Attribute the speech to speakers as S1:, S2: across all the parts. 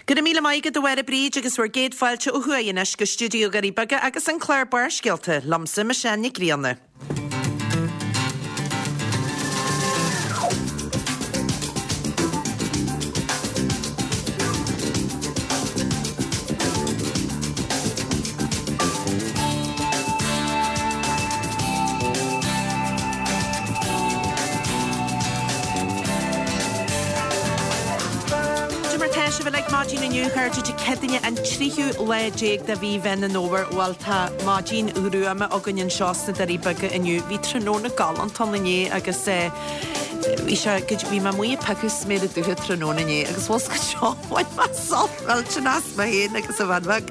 S1: Go raibh míle maith agat a Mháire Bríd agus bhur gcéad fáilte ó thuaidh anois go stiúideo Dhoirí Beaga agus an clár Barrscéalta, liomsa Michelle Nic Grianna. Cad é mar tá sibh uilig maidin inniu, a chairde, Dé Céadaoine an tríú lá déag de mhí Mheán an Fhómhair. Bhuel, tá maidin ghruama againn anseo sna Doirí Beaga inniu. Bhí tráthnóna galánta ann inné agus eh, bhí sé, bhí mé amuigh ag piocadh sméara dubha tráthnóna inné agus bhfuil 's agat seo, bhain mé sult millteanach as mé féin agus an bhean bheag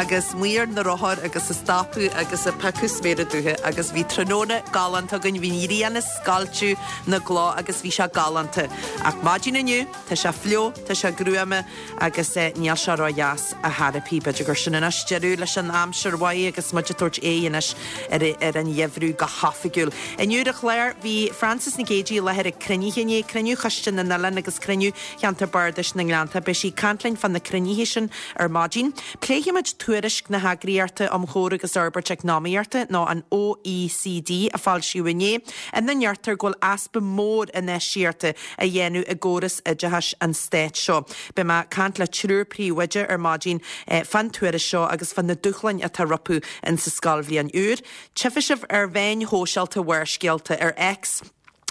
S1: agus amuigh ar na rothair agus ag stopadh agus ag piocadh sméara dubha agus bhí tráthnóna galánta againn, bhí an ghrian ag scoilteadh na gcloch agus bhí sé galánta. Ach maidin inniu, tá sé fliuch, tá sé gruama agus níl sé ró-dheas ar chor ar bith. B'fhéidir gur sin anois deireadh leis an aimsir mhaith agus muid ag tabhairt aghaidh anois ar an gheimhreadh go hoifigiúil. Inniu ar an chlár, bhí Frances Nic Géadaigh i láthair ag cruinnithe inné, cruinniú Choiste na nOileán agus cruinniú Cheantar Bardais na nGleannta. Beidh sí ag caint linn fá na cruinnithe sin ar maidin. Pléifimid tuairisc na hEagraíochta um Chomhar agus Fhorbairt Eacnamaíochta, nó an OECD, a foilsíodh inné, ina ndeirtear go bhfuil easpa mór infheistíochta á dhéanamh i gcóras oideachais an stáit seo. Beidh mé ag caint le triúr príomhoide ar maidin fán tuairisc seo agus fá na dúshláin atá rompu insa scoilbhliain úr. Tchífidh sibh ar mheáin shóisialta Bharrscéalta, ar X,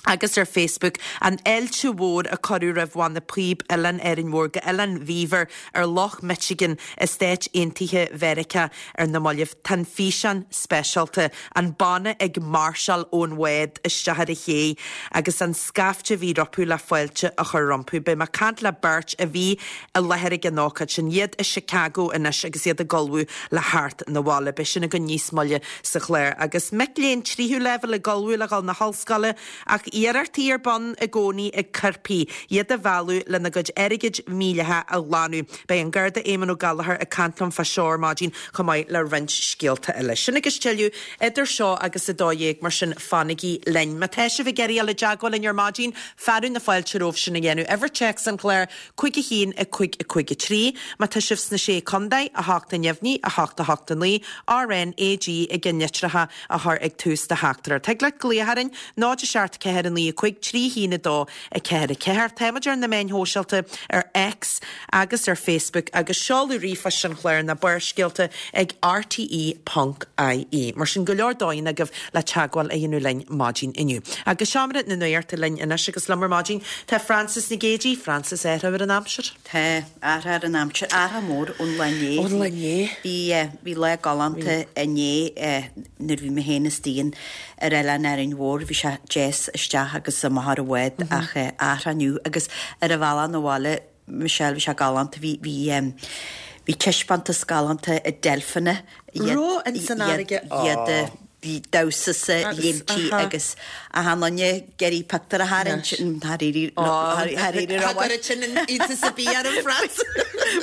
S1: agus ar Facebook an fháilte mhór a cuireadh roimh bhanna píob Oileán Árainn Mhór go Oileán Beaver ar Loch Michigan i Stáit Aontaithe Mheiriceá ar na mallaibh. Tá an físeán speisialta, an banna ag máirseáil ón bhád isteach ar an ché agus an scaifte a bhí rompu le fáilte a chur rompu. Beidh mé ag caint le beirt a bhí i láthair ag an ócáid sin, iad i Chicago anois agus iad ag ullmhú le theacht 'na bhaile. Beidh sin againn níos moille sa chlár. Agus mic léinn tríú leibhéal ag ullmhú le dhul 'na hollscoile ach iarrachtaí ar bun i gcónaí ag coirpigh iad a mhealladh lena gcuid airgid mhídhleathach a ghlanadh. Beidh an Garda Éamon Ó Gallchóir ag caint liom fá seo ar maidin chomh maith le roinnt scéalta eile. Sin agus tuilleadh idir seo agus 12:00, mar sin fanaigí linn. Má tá sibh ag iarraidh dul i dteagmháil linn ar maidin, fearadh na fáilte romhaibh sin a dhéanamh. Uimhir téacs an chláir, 5 1 5 5 3. Má tá sibh sna Sé Contae, 8 a neamhní, 8 8 9, RNAG i gceannlitreacha a chur ag tús do theachtaireacht. Thig leat glaoch orainn, 0 7 4 9 5 3 1 2 4 4. Táimid ar na meáin shóisialta ar X agus ar Facebook agus seoladh ríomhphoist an chláir ná Barrscéalta ag rte.ie. Mar sin go leor dóigheanna agaibh le teagmháil a dhéanamh linn maidin inniu. Agus Seomra na Nuachta linn anois agus liom ar maidin tá Frances Nic Géadaigh. Frances, athrú ar an aimsir?
S2: Tá, athrú ar an aimsir, athrú mór ón lá inné.
S1: Ón lá inné.
S2: Bhí, bhí lá galánta inné nuair a bhí mé féin is Dian ar Oileán Árainn Mhór, bhí sé deas isteach agus amach ar an bhád ach athrú inniu agus ar an bhealach 'na bhaile Michelle, bhí sé galánta, bhí, bhí, bhí taispeántas galánta ag deilfeanna,
S1: iad, Raibh ins an fharraige,
S2: iad ag damhsa 's ag léimtí agus achan duine ag iarraidh pictiúr a tharraingt, char éirigh, char éirigh
S1: Cha gcuirfeadh sin iontas ar bith orm, Frances.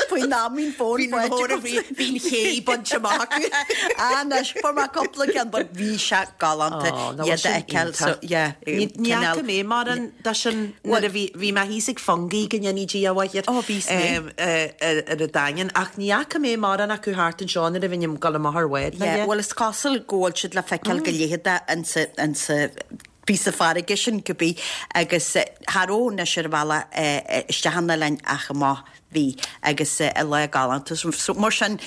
S2: Faoin am bhí an fón faighte
S1: agat. Bhí an ché bainte amach acu.
S2: Ah, anois, fuair mé cúpla ceann, but bhí sé galánta iad a fheiceáil, so, yeah,
S1: Ní fhaca mé mórán de sin nuair a bhí, bhí mé thíos ag Fungie go ndéanaí Dia a mháthair
S2: Ó, bhí
S1: mé. ar an Daingean ach ní fhaca mé mórán acu thart anseo nuair a bhínn ag dul amach ar bhád.
S2: Yeah, bhuel is cosúil go bhfuil siad le feiceáil go leitheadach insa, insa píosa farraige sin cibé agus cha raibh anois ar an bhealach isteach an oileáin ach amach bhí agus lá galánta so mar sin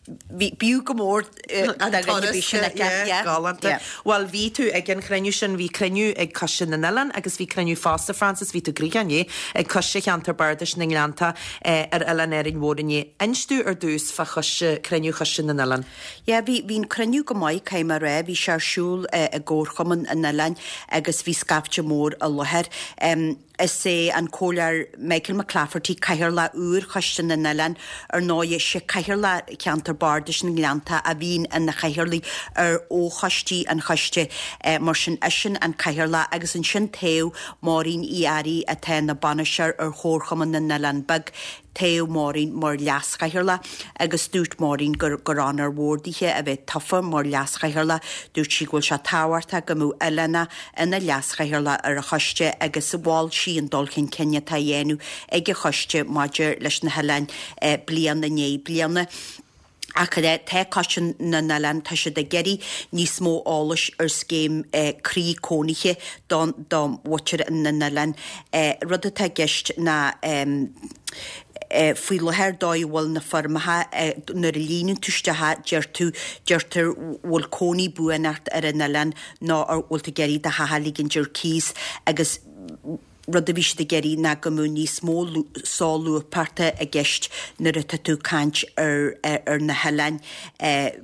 S2: Bhí, b'fhiú go mór
S1: An turas, sin yeah, galánta. Bhuel, bhí tú ag an chruinniú sin, bhí cruinniú ag Coiste na nOileán agus bhí cruinniú fosta, Frances, bhí tú gnoitheach inné, ag Coiste Cheantar Bardais na nGleannta ar Oileán Árainn Mhór inné. Inis domh ar dtús fá choiste, cruinniú Choiste na nOileán.
S2: Yeah, bhí, bhí an cruinniú go maith, caithfidh mé a rá, bhí sé ar siúl i gComharchumann an Oileáin agus bhí scaifte mór i láthair. Is é an Comhairleoir Michael McClafferty Cathaoirleach úr Choiste na nOileán. Ar ndóigh, is é Cathaoirleach Cheantar Bardais na nGleannta a bhíonn ina chathaoirleach ar fhochoistí an choiste. Mar sin, eisean an Cathaoirleach agus ansin toghadh Máirín Uí Fhearraigh atá ina bainisteoir ar Chomharchumann na nOileán Beag. Toghadh Maureen mar leaschathaoirleach agus dúirt Maureen gur gur onóir mhór dithe a bheith tofa mar leaschathaoirleach. Dúirt sí go bhfuil sé tábhachtach go mbeadh oileánach ina leaschathaoirleach ar an choiste agus mhol sí an dul chun cinn atá á dhéanamh ag an choiste maidir leis na hoileáin bliain i ndiaidh bliana. Ach tá Coiste na nOileán, tá siad ag iarraidh níos mó eolais ar scéim croí cónaithe do mhuintir na n-oileán. Rud atá i gceist ná faoi láthair dóigh a bhfuil na foirmeacha, nuair a líonann tú isteach deir tú, deirtear bhfuil cónaí buan ort ar an oileán nó an bhfuil tú ag iarraidh do theach a ligint ar cíos agus rud a bhí siad ag iarraidh ná go mbeadh níos mó solúbthachta i gceist nuair atá tú ag caint ar ar na hoileáin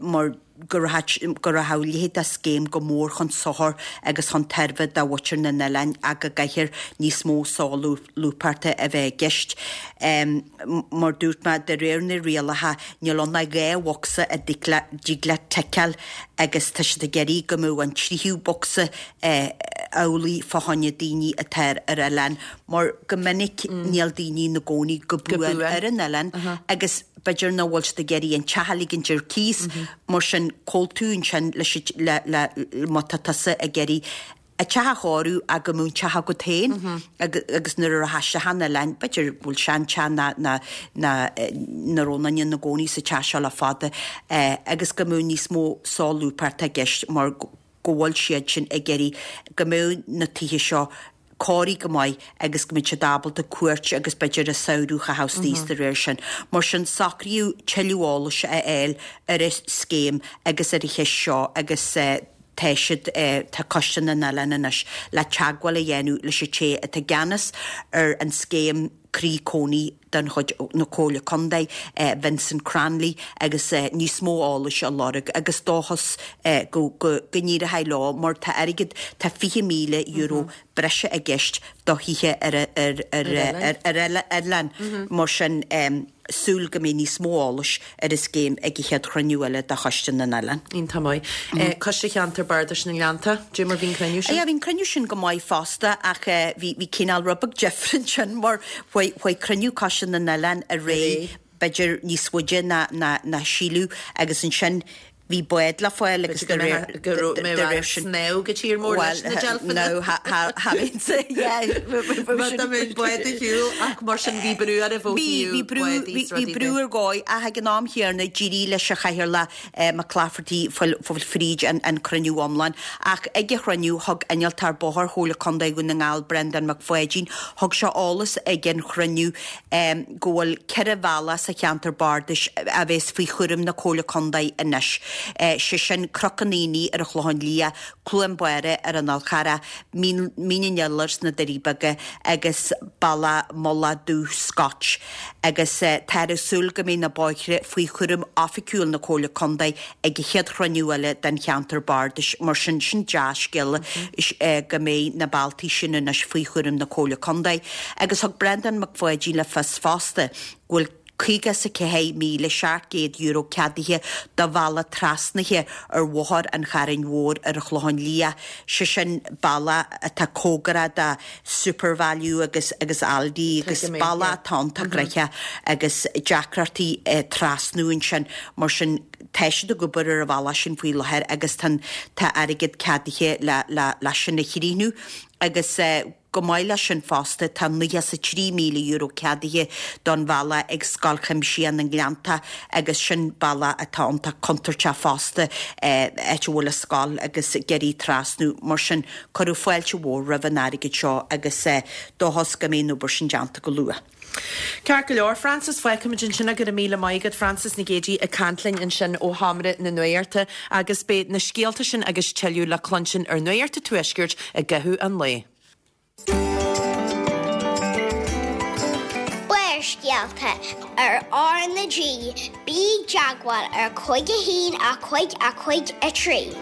S2: mar go rachadh go rachadh a leithéid de scéim go mór chun sochair agus chun tairbhe do mhuintir na n-oileán ach go gcaithfear níos mó solúbthachta a bheith i gceist. Mar dúirt mé, de réir na rialacha níl ann ach 2 bhocsa a dtig leat ticeáil agus tá siad ag iarraidh go mbeadh an tríú bocsa amhlaidh fá choinne daoine atá ar oileán mar go minic níl daoine ina gcónaí go buan ar an oileán agus b'fhéidir nach bhfuil siad ag iarraidh an teach a ligint ar cíos mar sin cá bhfuil tú ansin leis le le má tá tusa ag iarraidh an teach a chóiriú ach go mbeadh an teach agat féin agus nuair a rachfá isteach an oileáin b'fhéidir go bhfuil seanteach ná ná ná nach raibh aon duine ina gcónaí sa teach seo le fada agus go mbeadh níos mó solúbthachta i gceist mar go bhfuil siad sin ag iarraidh go mbeadh na tithe seo cóirithe go maith agus go mbeidh siad ábalta cuairt agus b'fhéidir an samhradh a chaitheamh istigh de réir sin. Mar sin socraíodh tuilleadh eolais a fháil ar an scéim agus ar an cheist seo agus tá siad, tá Coiste na nOileán anois le teagmháil a dhéanamh leis an té atá i gceannas ar an scéim Croí Cónaí de chuid na Comhairle Contae, Vincent Cranley, agus níos mó eolais a lorg agus dóchas go n-éireoidh leo mar tá airgead, tá €20,000 breise i gceist do thithe ar oileán mar sin súil go mbeidh níos mó eolais ar an scéim ag an chéad chruinniú eile de Choiste na nOileán.
S1: Iontach maith. Coiste Cheantar Bardais na nGleannta, dé mar bhí an cruinniú sin?
S2: Yeah, bhí an cruinniú sin go maith fosta ach bhí bhí cineál rud beag difriúil ansin mar chuaigh chuaigh cruinniú Coiste na nOileán ar aghaidh b'fhéidir níos faide ná ná ná síleadh agus ansin Bhí bád le fáil agus de réir
S1: go raibh mé ag snámh go tír mór leis na deilfeanna. Bhí bád ar shiúl ach mar sin bhí brú oraibh ó thaobh bádaí is
S2: rudaí de. Bhí brú ar dhóigh ach ag an am chéanna d'éirigh leis an Chathaoirleach McClafferty fáil fríd an cruinniú iomlán. Ach ag an chruinniú thug Innealtóir Bóthair Chomhairle Contae Dhún na nGall Breandán Mac Pháidín thug sé eolas ag an chruinniú go bhfuil 4 bhealach sa cheantar bardais a bheas faoi chúram na Comhairle Contae anois, sé sin Cnoc an Aonaigh ar an Chlochán Liath, Cluain Báire ar an Fhál Charrach, Mín an Iolair sna Doirí Beaga agus Bealach Mullach Dubh Scotch agus táthar ag súil go mbeidh na bóithre faoi chúram oifigiúil na Comhairle Contae ag an chéad chruinniú eile den cheantar bardais. Mar sin, sin dea-scéala go mbeidh na bealtaí sin anois faoi chúram na Comhairle Contae. Agus thug Breandán Mac Pháidín le fios fosta go bhfuil €54,700 ceadaithe do bhealach trasnaithe ar Bhóthar an Chairn Mhóir ar an Chlochán Liath, sé sin bealach atá cóngarach do Supervalu agus agus Aldi agus bealach atá iontach gnoitheach agus deacrachtaí trasnú ansin. Mar sin tá siad ag obair ar an bhealach sin faoi láthair agus tá tá airgead ceadaithe le le le sin a chríochnú agus Chomh maith leis sin fosta, tá €93,000 ceadaithe don bhealach ag Scoil Chuimsitheach na nGleanntach agus sin bealach atá iontach contúirteach fosta, áit a bhfuil an scoil agus ag iarraidh trasnú. Mar sin, cuireadh fáilte mhór roimh an airgead seo agus dóchas go mbeidh an obair sin déanta go luath.
S1: Ceart go leor, Frances, fágfaimid ansin é. Go raibh míle maith agat, Frances Nic Géadaigh ag caint linn ansin ó Sheomra na Nuachta agus beidh na scéalta sin agus tuilleadh le cluinstin ar Nuacht an Tuaiscirt i gcaitheamh an lae.
S3: Barrscéalta ar R na G, bí i dteagmháil ar 5 1 5 5 3.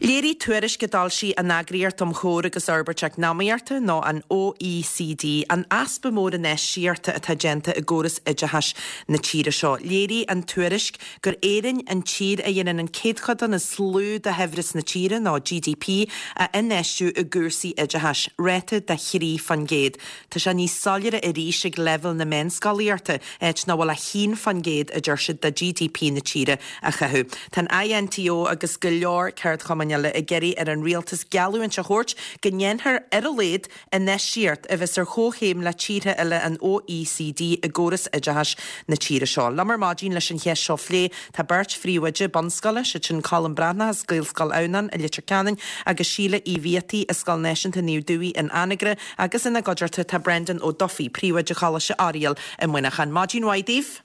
S1: Léirigh tuairisc a d'fhoilsigh an Eagraíocht um Chomhar agus Fhorbairt Eacnamaíochta, nó an OECD, an easpa mór infheistíochta atá déanta i gcóras oideachais na tíre seo. Léirigh an tuairisc gur Éirinn an tír a dhéanann an céadchodán is lú de shaibhreas na tíre, nó GDP, a infheistiú i gcúrsaí oideachais, ráta de 3%. Tá sé níos soiléire arís ag leibhéal na meánscolaíochta, áit nach bhfuil ach 1% a deir siad de GDP na tíre á chaitheamh. Tá an INTO agus go leor ceardchumainn eile ag iarraidh ar an rialtas geallúint a thabhairt go ndéanfar, ar a laghad, infheistíocht a bheas ar chomhchéim le tíortha eile an OECD i gcóras oideachais na tíre seo. Liom ar maidin leis an cheist seo a phlé tá beirt phríomhoide bunscoile, siad sin Colm Breathnach as Gaelscoil Adhamhnáin i Leitir Ceanainn agus Síle Uí Bhiataigh as Scoil Náisiúnta Naomh Dubhthaigh in Anagaire agus ina gcuideachta tá Brendan Ó Dufaigh, Príomhoide Choláiste Oiriall i Muineachán. Maidin mhaith daoibh.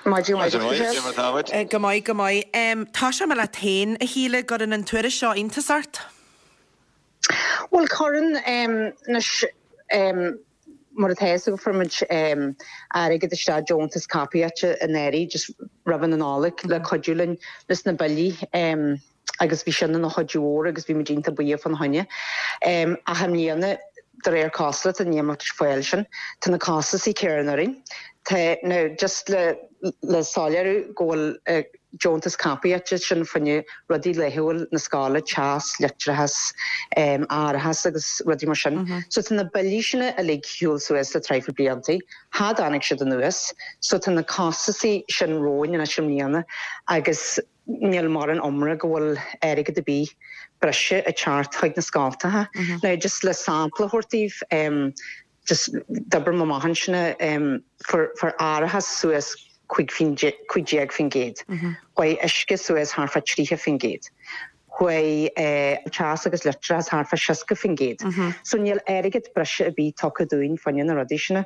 S4: Maidin mhaith duit, Michelle. Go
S1: maith, go maith, go maith. Tosóidh mé leat féin, a Shíle, gcuireann an tuairisc seo iontas ort?
S4: Bhuel, cuireann. Anois, mar atá fhios agat, fuair muid airgead isteach, deontas caipitil anuraidh, just roimh an Nollaig, le cuidiú linn leis na billí agus bhí sin ina chuidiú mhór agus bhí muid iontach buíoch fána choinne. Ach i mbliana, de réir cosúlachta, níl muid ag fáil sin. Tá na costasaí céanna orainn. Tá, now, just le le soiléiriú go bhfuil deontas caipitil sin fá choinne rudaí laethúil na scoile, teas, leictreachas, árachas agus rudaí mar sin. So tá na billí sin uilig ar shiúl suas le traidhfil bliantaí. Cha dtáinig siad anuas. So tá na costasaí sin romhainn anois i mbliana agus níl mórán iomrá go bhfuil airgead ar bith breise ag teacht chuig na scoltacha. Now just le sampla a thabhairt daoibh, just d'oibrigh mé amach ansin, fuair árachas suas 15%, chuaigh uisce suas thart fá 30%, chuaigh teas agus leictreachas thart fá 60%. So níl airgead breise ar bith tugtha dúinn fá choinne na rudaí sin.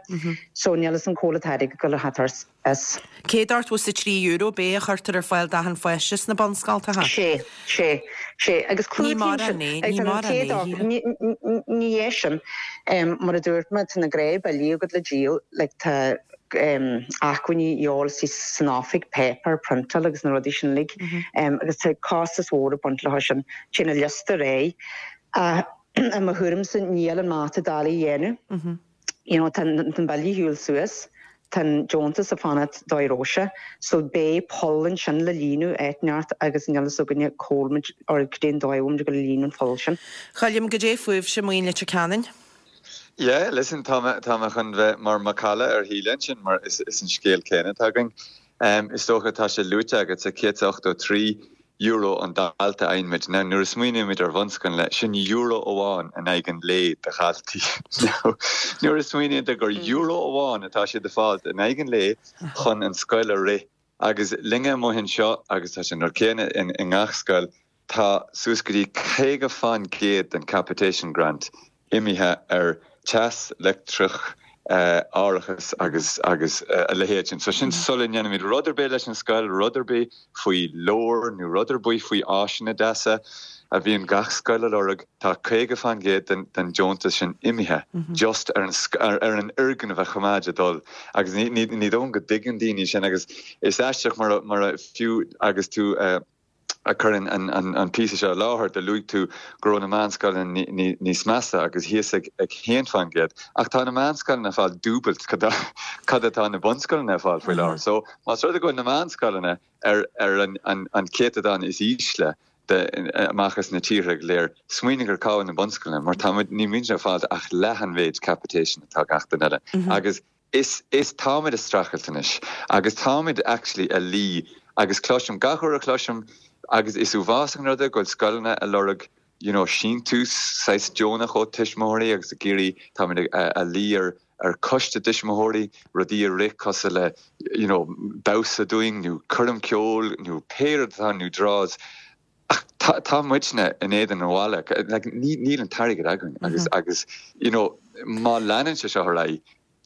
S4: So níl fhios a'm cá bhfuil an t-airgead ag dul ar theacht as.
S1: €183 ab é a chuirtear ar fáil d'achan pháiste sna bunscoltacha?
S4: Sé, sé, sé. Agus
S1: Ní mórán é, ní mórán é, a Shíle.
S4: Ní é sin. Mar a dúirt mé, tá na gnáthbhillí agat le díol, like tá acmhainní a dhíobháil san oifig, páipéar, priontáil agus na rudaí sin uilig. Agus tá costas mhór ag baint leo sin. Téann an liosta ar aghaidh. Ach i mo thuairimse níl an mata doiligh a dhéanamh. You know, tá an bille ar shiúl suas, tá an deontas ag fanacht dóigh a raibh sé, so beidh poll ansin le líonadh áit inteacht agus níl fhios againne cá bhfuil muid or cad é an dóigh a bhfuil muid ag dul a líonadh an pholl sin.
S1: Choilm, goidé fúibhse amuigh in Leitir Ceanainn?
S5: Yeah, listen, tá mé, tá mé chun bheith mar macalla ar Shíle ansin mar is, is an scéal céanna atá againn. Is dócha tá sé luaite agat sa €183 euro an dalta a fhaigheann muid. Now, nuair a smaoinímid ar bhunscoileanna, sin euro amháin in aghaidh an lae do dhaltaí. Now, nuair a smaoiníonn tú gur euro amháin atá siad ag fáilt in aghaidh an lae chun an scoil a rith, agus linne amuigh anseo, agus tá sé an rud céanna i ngach scoil, tá suas go dtí 50% den capitation grant imithe ar teas, leictreach, árachas agus agus a leithéid sin. So sin sula ndéanaimid rud ar bith leis an scoil, rud ar bith faoi leabhair nó rud ar bith faoi áiseanna deasa a bhíonn gach scoil a lorg, tá 50% den den deontas sin imithe just ar an ar an fhoirgneamh a choimeád ag dul agus ní ní ní dóigh go dtuigeann daoine sin agus is aisteach mar mar a fiú agus tú ag cur an píosa seo i láthair, do luaigh tú go raibh na meánscoileanna níos measa agus thíos ag 1% ach tá na meánscoileanna ag fáil dúbailt cad atá na bunscoileanna ag fáil faoi láthair. So más rud é go bhfuil na meánscoileanna ar an céatadán is ísle amach as na tíortha go léir, smaoinigh ar cá bhfuil na bunscoileanna mar tá muid, ní muid ag fáil ach leath an mhéid capitation atá gach duine eile. Agus Is, is, táimid ag streachailt anois agus táimid actually a luí agus cloisim, gach uair a chloisim agus is uafásach an rud é go bhfuil scoileanna a lorg you know síntiús saghas deonach ó tuismitheoirí agus ag iarraidh, táimid a, a luí ar, ar coiste tuismitheoirí rudaí a rith cosúil le you know damhsa dúinn nó coirm ceoil nó pé rud atá nó draws Ach tá, tá muidne in éadan an bhalla, like, ní, níl an t-airgead againn agus, agus, you know, má leanann sé seo ar aghaidh,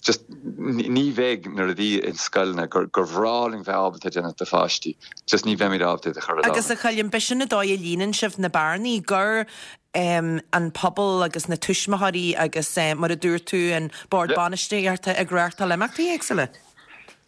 S5: just ní bheidh na rudaí in scoileanna gur, gur bhreá linn bheith ábalta déanamh do pháistí, just ní bheimid ábalta iad a chur i
S1: Agus a Choilm, b'shin an dóigh a líonann sibh na bearnaí, gur em, an pobal agus na tuismitheoirí agus eh, mar a dúirt tú, an bord bainistíochta ag reáchtáil imeachtaí éagsúla.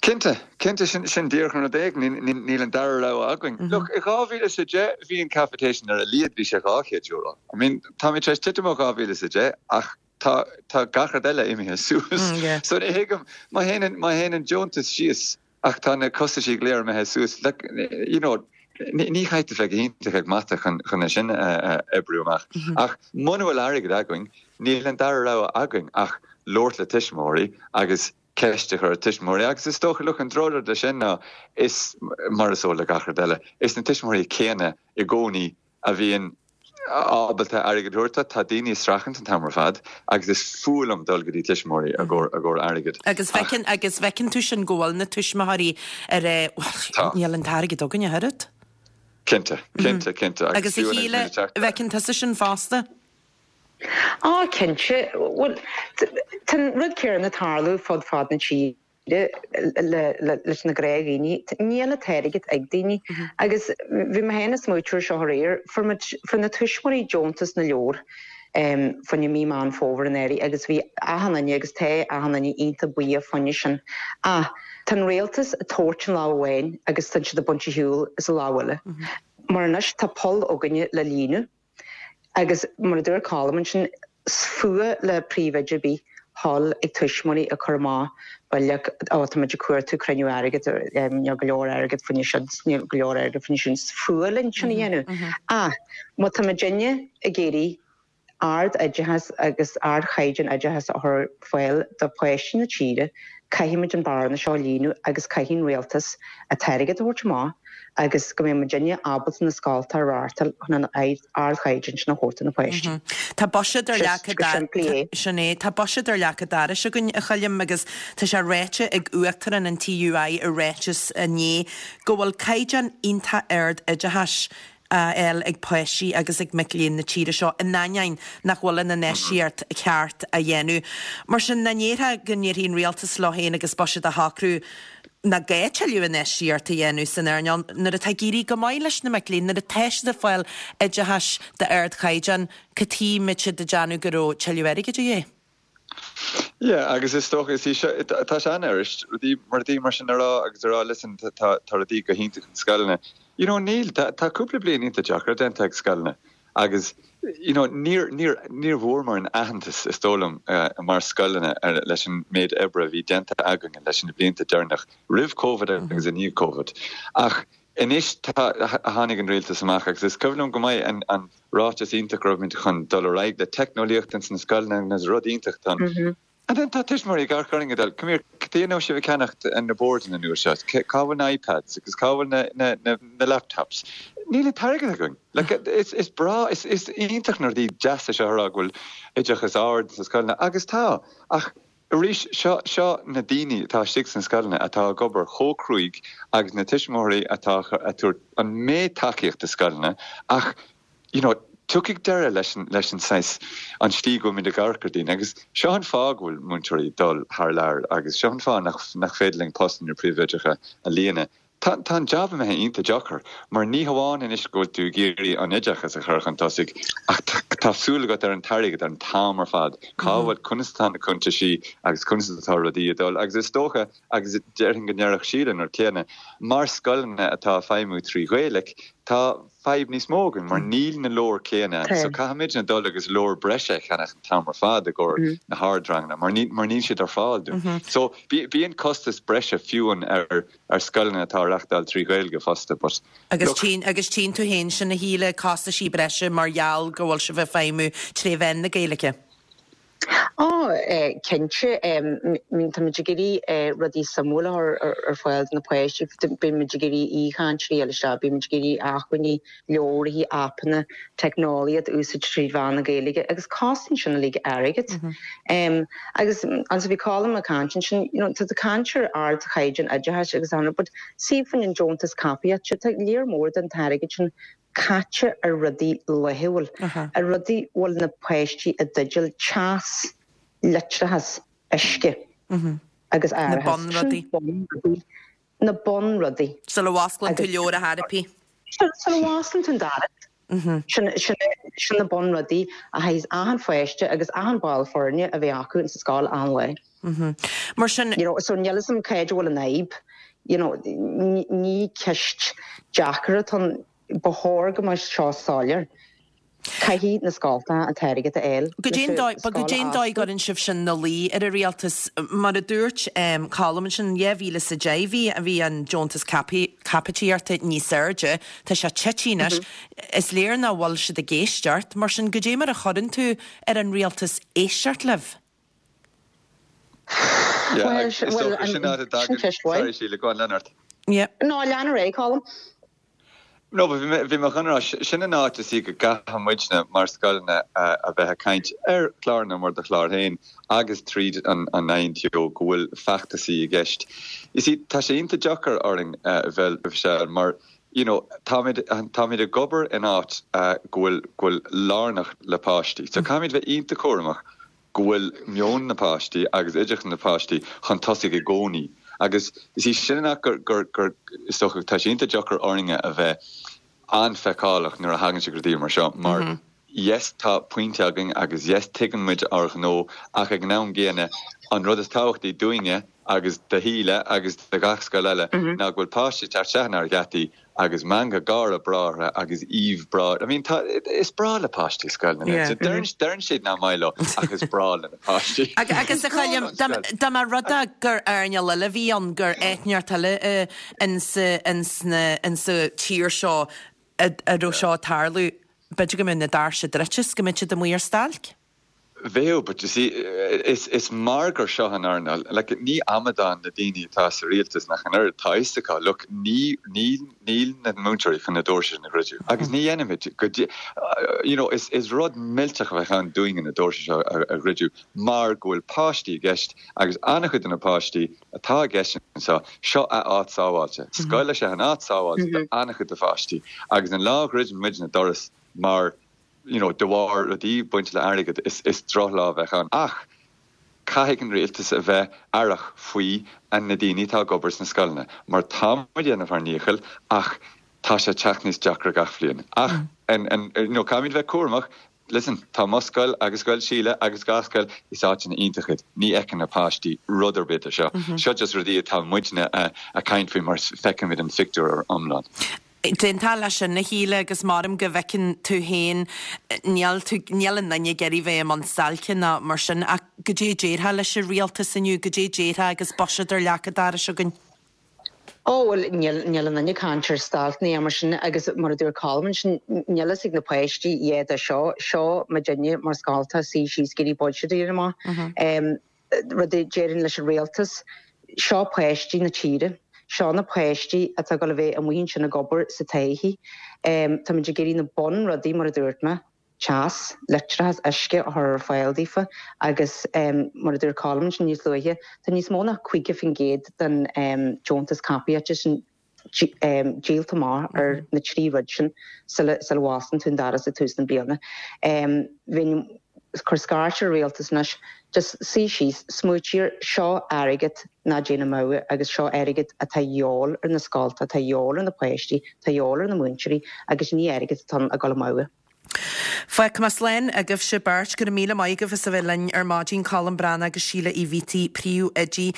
S5: Cinnte, cinnte, sin, sin díreach an rud é, níl an dara rogha againn. Look, i 2010 bhí an capitation ar a laghad, bhí sé €200. I mean, táimid tar éis titim ó 2010 ach tá, tá gach rud eile imithe suas. So ní thuigim, má théann, má théann an deontas síos ach tá na costaisí go léir imithe suas, like, you know, ní, ní chaithfidh tú bheith go hiontach ag mata chun, chun é sin a, a oibriú amach. Ach muna bhfuil airgead againn, níl an dara rogha againn ach labhairt le tuismitheoirí agus ceist a chur ar tuismitheoirí agus is dócha, look, an drochrud leis sin ná is, mar is eol le gach rud eile, is na tuismitheoirí céanna i gcónaí a bhíonn ábalta airgead a thabhairt. Tá daoine ag streachailt an t-am ar fad agus is fuath liom dul go dtí tuismitheoirí i gcomhair airgid.
S1: Agus feiceann, agus bhfeiceann tú sin go bhfuil na tuismitheoirí ar eh, bhuel, níl an t-airgead againn ach oiread.
S5: Cinnte, cinnte, cinnte.
S1: Agus a Shíle, bhfeiceann tusa sin fosta?
S4: Á, cinnte. Bhuel, tá an rud céanna ag tarlú fud fad na tíre leis na gnáthdhaoine. Níl an t-airgead ag daoine. Agus bhí mé féin ag smaoitiú air seo aréir, fuair muid, fuair na tuismitheoirí deontas na leabhar fá choinne mí Meán Fómhair anuraidh agus bhí achan duine agus tá achan duine iontach buíoch fá choinne sin. Ach tá an rialtas ag tabhairt an lámh amháin agus tá siad ag baint ar shiúl as an lámh eile. Mar anois tá poll againne le líonadh. Agus mar a dúirt Colm ansin, is fuath le príomhoide ar bith dhul ag tuismitheoirí ag cur amach bileog, ó tá muid ag cuartú cruinniú airgid, níl go leor airgid fá choinne seo, níl go leor airgid fá choinne sin, is fuath linn sin a dhéanamh. Ach má tá muidinne ag iarraidh ard-oideachas agus ardchaighdeán oideachais a chur ar fáil do pháistí na tíre, caithfidh muid an bearna seo a líonadh agus caithfidh an rialtas an t-airgead a thabhairt amach agus go mbeidh muidinne ábalta na scoltacha a reáchtáil chun an ardchaighdeán sin a thabhairt do na páistí.
S1: Tá buiséad ar leac an Sin é. Tá buiséad ar leac an dorais againn, a Choilm, agus tá sé ráite ag Uachtarán an TUI i ráiteas inné go bhfuil caighdeán iontach ard oideachais á fháil ag páistí agus ag mic léinn na tíre seo, in ainneoin nach bhfuil an infheistíocht cheart á dhéanamh. Mar sin, nach ndéarfá go ndéarfaidh an rialtas leo féin agus buiséad á shocrú nach gá tuilleadh infheistíocht a dhéanamh san earnáil nuair atá ag éirí go maith leis na mic léinn, nuair atá siad ag fáil oideachais d'ardchaighdeán, cad chuige a mbeadh siad ag déanamh go raibh tuilleadh airgid de dhíth?
S5: Yeah, agus is dócha, is í seo, tá sé an-fhuirist rudaí, rudaí mar sin a rá agus a rá listen, tá, tá rudaí go hiontach in scoileanna. You know, níl, tá, tá cúpla bliain iontach deacair déanta ag scoileanna agus, you know, níor, níor, níor bhfuaireamar an aitheantas, is dóigh liom, mar scoileanna leis an méid oibre a bhí déanta againn leis na blianta deireanach roimh Covid agus i ndiaidh Covid. Ach anois tá, tháinig an rialtas amach agus is cuimhin liom go maith an, an ráiteas iontach go raibh muid chun dul ar aghaidh le teicneolaíocht ins na scoileanna agus rud iontach don And then tá tuismitheoirí ag amharc orainn ag dul, come here, cad chuige nach raibh sibh ag ceannacht na boirdeanna nua seo? Cá bhfuil na iPads agus cá bhfuil na, na, na, na laptops? Níl an t-airgead againn. Like, is, is breá, is, is iontach na rudaí deasa seo a rá go bhfuil oideachas ard sna scoileanna, agus tá, ach arís, seo, seo na daoine atá istigh sna scoileanna atá ag obair chomh cruaidh agus na tuismitheoirí atá ag tabhairt an méid tacaíocht do scoileanna ach you know, tiocfaidh deireadh leis an, leis an saghas, an tslí go bhfuil muid ag amharc ar daoine agus seo an fáth go bhfuil múinteoirí ag dul thar lear agus seo an fáth nach, nach féidir linn postanna príomhoideacha a líonadh. Tá, tá an jab imithe iontach deacair mar ní hamháin anois go bhfuil tú ag iarraidh an oideachas a chur chun tosaigh ach tá, tá súil agat ar an t-airgead an t-am ar fad. Cá bhfuil, conas atá na cuntaisí agus conas atá rudaí ag dul agus is dócha agus déarfainn go ndéarfadh Síle an rud céanna, mar scoileanna atá ag feidhmiú trí Ghaeilge, tá fadhb níos mó againn mar níl na leabhair céanna ann so caithfimidne dul agus leabhair breise a cheannach an t-am ar fad i gcomhair na hardranganna mar níl mar níl siad ar fáil dúinn. So bíonn costas breise fiú an ar ar scoileanna atá á reachtáil trí Ghaeilge fosta but
S1: Agus look. tchíonn agus tchíonn tú féin sin a Shíle, costaisí breise mar gheall go bhfuil sibh ag feidhmiú tré mheán na Gaeilge.
S4: Á, cinnte. Tá muid ag iarraidh rudaí suimiúla a chur ar fáil do na páistí. Bíonn muid ag iarraidh aoichainteoirí a fháil isteach, bíonn muid ag iarraidh acmhainní, leabharthaí, aipeanna, teicneolaíocht a úsáid trí mheán na Gaeilge agus cosnaíonn sin uilig airgead. Agus ansan bhí Colm ag caint ansin, you know, tá tú ag caint ar ardchaighdeán oideachais agus ann, but see faoin an deontas cóipíochta, tá léar mór den t-airgead sin caite ar rudaí laethúil, ar rudaí a bhfuil na páistí i dteideal, teas, leictreachas, uisce agus
S1: árachas. Na bunrudaí. Sin
S4: bunrudaí. Na bunrudaí.
S1: Sula bhfosclann tú leabhar ar chor ar bith.
S4: Sula bhfosclann tú an doras. Sin sin na bunrudaí a chaithfidh achan pháiste agus achan ball foirne a bheith acu insa scoil achan lá.
S1: Mar sin.
S4: You know, so níl 'fhios a'm cá bhfuil an fhadhb. You know, ní ceist deacair atá ann. Ba chóir go mbeadh seo soiléir. Caithfidh na scoltacha an t-airgead a fháil
S1: Goidé an dóigh, but goidé an dóigh a gcuireann sibh sin ina luí ar an rialtas? Mar a dúirt Colm ansin, 2010 bhí, bhí an deontas caipitíochta níos airde, tá sé tite anois. Is léir nach bhfuil siad ag éisteacht, mar sin goidé mar a chuireann tú ar an rialtas éisteacht libh?
S5: Yeah, agus is dócha sin áit a dtagann, sorry Síle, go on, lean ort.
S1: Yeah.
S4: No, lean ar aghaidh, Colm.
S5: No, but bhí mé, bhí mé chun a rá, sin an áit is í go gcaithfidh muidne mar scoileanna a bheith ag caint ar chláranna mar do chlár féin agus tríd an an INTO go bhfuil feachtasaí i gceist. You see, tá sé iontach deacair orainn a bheith, Michelle, mar you know, táimid, táimid ag obair in áit go bhfuil, go bhfuil lárnach le páistí. So caithfimid bheith iontach cúramach go bhfuil meon na páistí agus oideachas na páistí chun tosaigh i gcónaí agus is í sin an áit gur, gur, gur, is dócha, tá sé iontach deacair orainne a bheith an-fheiceálach nuair a thagann sé go rudaí mar seo mar yes tá pointe againn agus yes tuigeann muid ár ghnó ach ag an am gcéanna an rud is tábhachtaí dúinne agus do Shíle agus do gach scoil eile ná go bhfuil páistí ag teacht isteach inár ngeataí agus meangadh gáire breá orthu agus aoibh breá, I mean tá, is breá le páistí scoil na yeah. Deireann, deireann siad nach maith leo ach is breá le na páistí.
S1: Agus a Choilm, dá mba rud é gur earnáil eile a bhí ann, gur eitneacht eile insa, insa, insa tír seo a raibh seo ag tarlú, b'fhéidir go mbeadh na doirse druidte is go mbeadh siad amuigh ar stailc.
S5: Bheadh, but you see, is, is mar gur seo an earnáil, like, ní amadáin na daoine atá sa rialtas nach an oiread, tá fhios acu, look, ní, ní, níl na múinteoirí chun na doirse sin a dhruidiú, agus ní dhéanfaimid, go dtí, you know, is, is rud millteach a bheadh ann dúinne na doirse seo a, a dhruidiú mar go bhfuil páistí i gceist agus an-chuid de na páistí atá i gceist anseo, seo a áit sábháilte, scoil is ea an áit sábháilte do an-chuid de pháistí agus an lá a dhruideann muid na doras mar you know, de bharr rudaí bainte le airgead, is, is drochlá a bheadh ann. Ach caithfidh an rialtas a bheith aireach faoi na daoine atá ag obair sna scoileanna, mar tá muid ag déanamh ár ndícheall ach tá sé ag teacht níos deacra gach bhliain. Ach, and, and, you know, caithfimid bheith cúramach, listen, tá mo scoil agus scoil Síle agus gach scoil, is áiteanna iontach iad. Ní fheiceann na páistí rud ar bith de seo. Seo just rudaí atá muidne a' caint faoi mar feicimid an phictiúr iomlán.
S1: D'aontófá leis sin, a Shíle, agus maram go bhfeiceann tú féin, níl tú, níl aon duine ag iarraidh bheith i mbun stailce ná mar sin, ach goidé a déarfá leis an rialtas inniu, goidé a déarfá agus buiséad ar leac an dorais againn?
S4: Ó, bhuel, níl, níl aon duine ag caint ar stailc ná mar sin agus mar a dúirt Colm ansin, níl fhios ag na páistí a dhath de seo, seo muidinne mar scoltacha suí síos ag iarraidh buiséad a dhéanamh amach. rud a déarfainn leis an rialtas, seo páistí na tíre, seo na páistí atá ag dul a bheith amuigh ansin ag obair sa todhchaí. Táimid ag iarraidh na bunrudaí, mar a dúirt mé, teas, leictreachas, uisce a chur ar fáil daofa agus mar a dúirt Colm ansin níos luaithe, tá níos mó ná 50% den deontas caipitíochta sin díolta amach ar na trí rud sin sula bhfosclaíonn tú an doras ag tús na bliana. Bheinn ag cur scairt ar an rialtas anois, just suí síos, smaointigh air, seo airgead ná téann amú agus seo airgead atá a dhíobháil ar na scoltacha, atá a dhíobháil ar na páistí, atá a dhíobháil ar na múinteoirí agus ní airgead atá ann ag dul amú.
S1: Fágfaidh mé slán agaibhse beirt. Go raibh míle maith agaibh as a bheith linn ar maidin, Colm Breathnach agus Síle Uí Bhiataigh, príomhoidí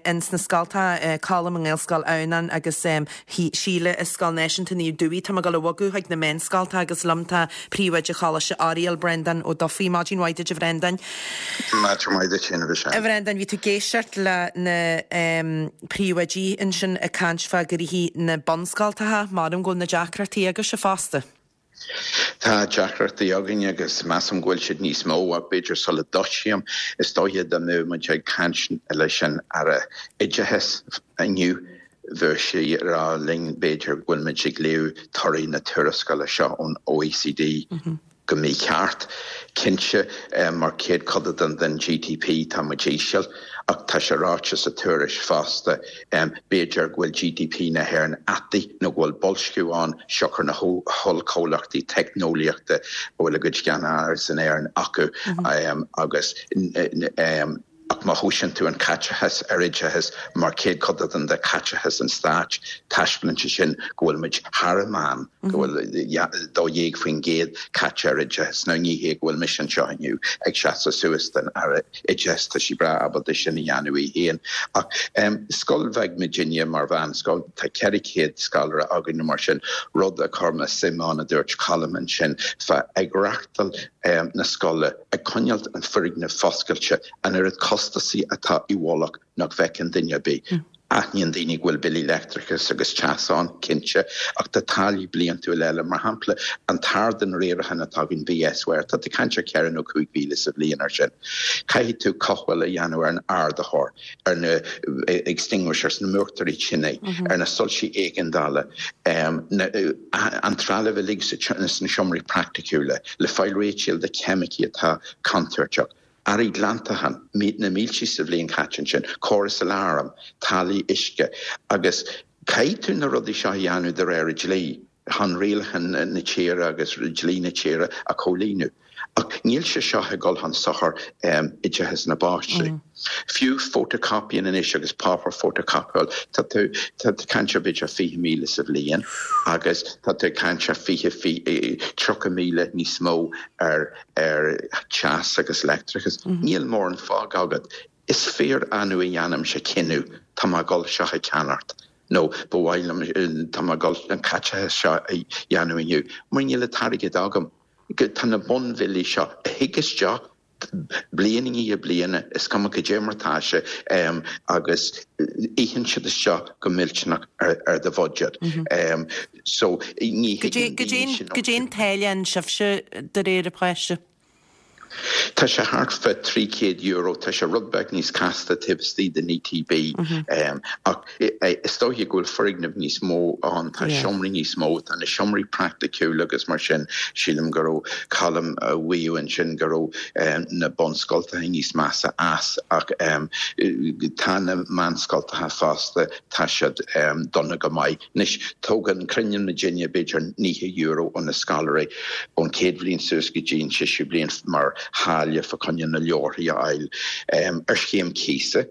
S1: ins na scoltacha, Colm i nGaelscoil Adhamhnáin agus Síle i Scoil Náisiúnta Naomh Dubhthaigh. Tá mé ag dul a bhogadh chuig na meánscoltacha agus liom tá príomhoide Choláiste Oiriall, Breandán Ó Dufaigh. Maidin mhaith duit a Bhreandáin.
S6: Maidin mhaith duit féin a Mhichelle.
S1: A Bhreandáin, bhí tú ag éisteacht le na príomhoidí ansin ag caint fá ghnoithí na bunscoltacha. Maram go bhfuil na deacrachtaí agaibhse fosta.
S6: Tá deacrachtaí againn agus measaim go bhfuil siad níos mó ach b'fhéidir sula dtosaím, is dóiche dá mbeadh muid ag caint leis an Aire Oideachais inniu, bheadh sé ag rá linn b'fhéidir go bhfuil muid ag léamh torthaí na tuarascála seo ón OECD go mícheart. Cinnte, mar chéadchodán den GDP tá muid íseal, ach tá sé ráite sa tuairisc fosta, b'fhéidir go bhfuil GDP na hÉireann ataí nó go bhfuil boilsciú ann siocair na hollchomhlachtaí teicneolaíochta a bhfuil a gcuid ceannáras in Éirinn acu agus. Ach má thomhaiseann tú an caiteachas ar oideachas mar chéadchodán de chaiteachas an stáit, taispeánann sé sin go bhfuil muid thar an meán, go bhfuil 12% caite ar oideachas. Now ní hé go bhfuil mise anseo inniu ag seasamh suas don Aire Oideachais, tá sí breá ábalta sin a dhéanamh í féin. Ach scoil bheag muidinne mar mheánscoil, tá 400 scoláire againn nó mar sin, rud a chuir mé suim ann a dúirt Colm ansin, fá ag reachtáil na scoile, ag coinneáilt an foirgneamh foscailte, an oiread costasaí atá i bhfolach nach bhfeiceann duine ar bith. Aithníonn daoine go bhfuil billí leictreachais agus teas ann, cinnte, ach tá táillí bliantúla eile, mar shampla an t-ardán riaracháin atá againn, VSware, tá tú ag caint ar cheithre nó 5,000 sa bhliain ar sin. Caithfidh tú cothabháil a dhéanamh ar an ardaitheoir, ar na extinguishers, na múchtóirí tine, ar na soilsí éigeandála, an trealamh uilig sna seomraí praiticiúla, le fáil réitigh de cheimicí atá contúirteach, earraí glantacháin, na mílte sa bhliain caite ansin, córas aláraim, táillí uisce agus caithfidh tú na rudaí seo a dhéanamh de réir an dlí. chun rialacháin na tíre agus dlí na tíre a chomhlíonadh. Ach níl sé seo ag dul chun sochair oideachas na bpáistí. Fiú photocopying anois agus páipéar photocopyáil, tá tú ag caint ar b'fhéidir 20,000 sa bhliain agus tá tú ag caint ar 20, 30,000 níos mó ar teas agus leictreachas. Níl mórán fágtha agat. Is fíor-annamh a dhéanaimse cinneadh, tá mé ag dul seo a cheannacht. nó ba mhaith liom, tá mé ag dul an caiteachas seo a dhéanamh inniu, mar níl an t-airgead agam. Tá na bunbhillí seo a thig isteach bliain i ndiaidh bliana, is cuma cad é mar atá sé, agus itheann siad isteach go millteanach ar do bhuiséad. So ní
S1: thuigeann daoine sin. Cad é an táille ann sibhse de réir an pháiste?
S6: Tá sé thart fá €300, tá sé rud beag níos casta taobh istigh den ETB ach is dóiche go bhfuil foirgnimh níos mó ann, tá seomraí níos mó, tá na seomraí praiticiúla agus mar sin, sílim go raibh Colm a mhaíomh ansin go raibh na bunscoltacha níos measa as ach tá na meánscoltacha fosta, tá siad dona go maith. Anois, tógann, cruinníonn muidinne b'fhéidir €90 ó na scoláirí ón chéad bhliain suas go dtí an séú bliain mar tháille fá choinne na leabharthaí a fháil. Ar scéim cíosa,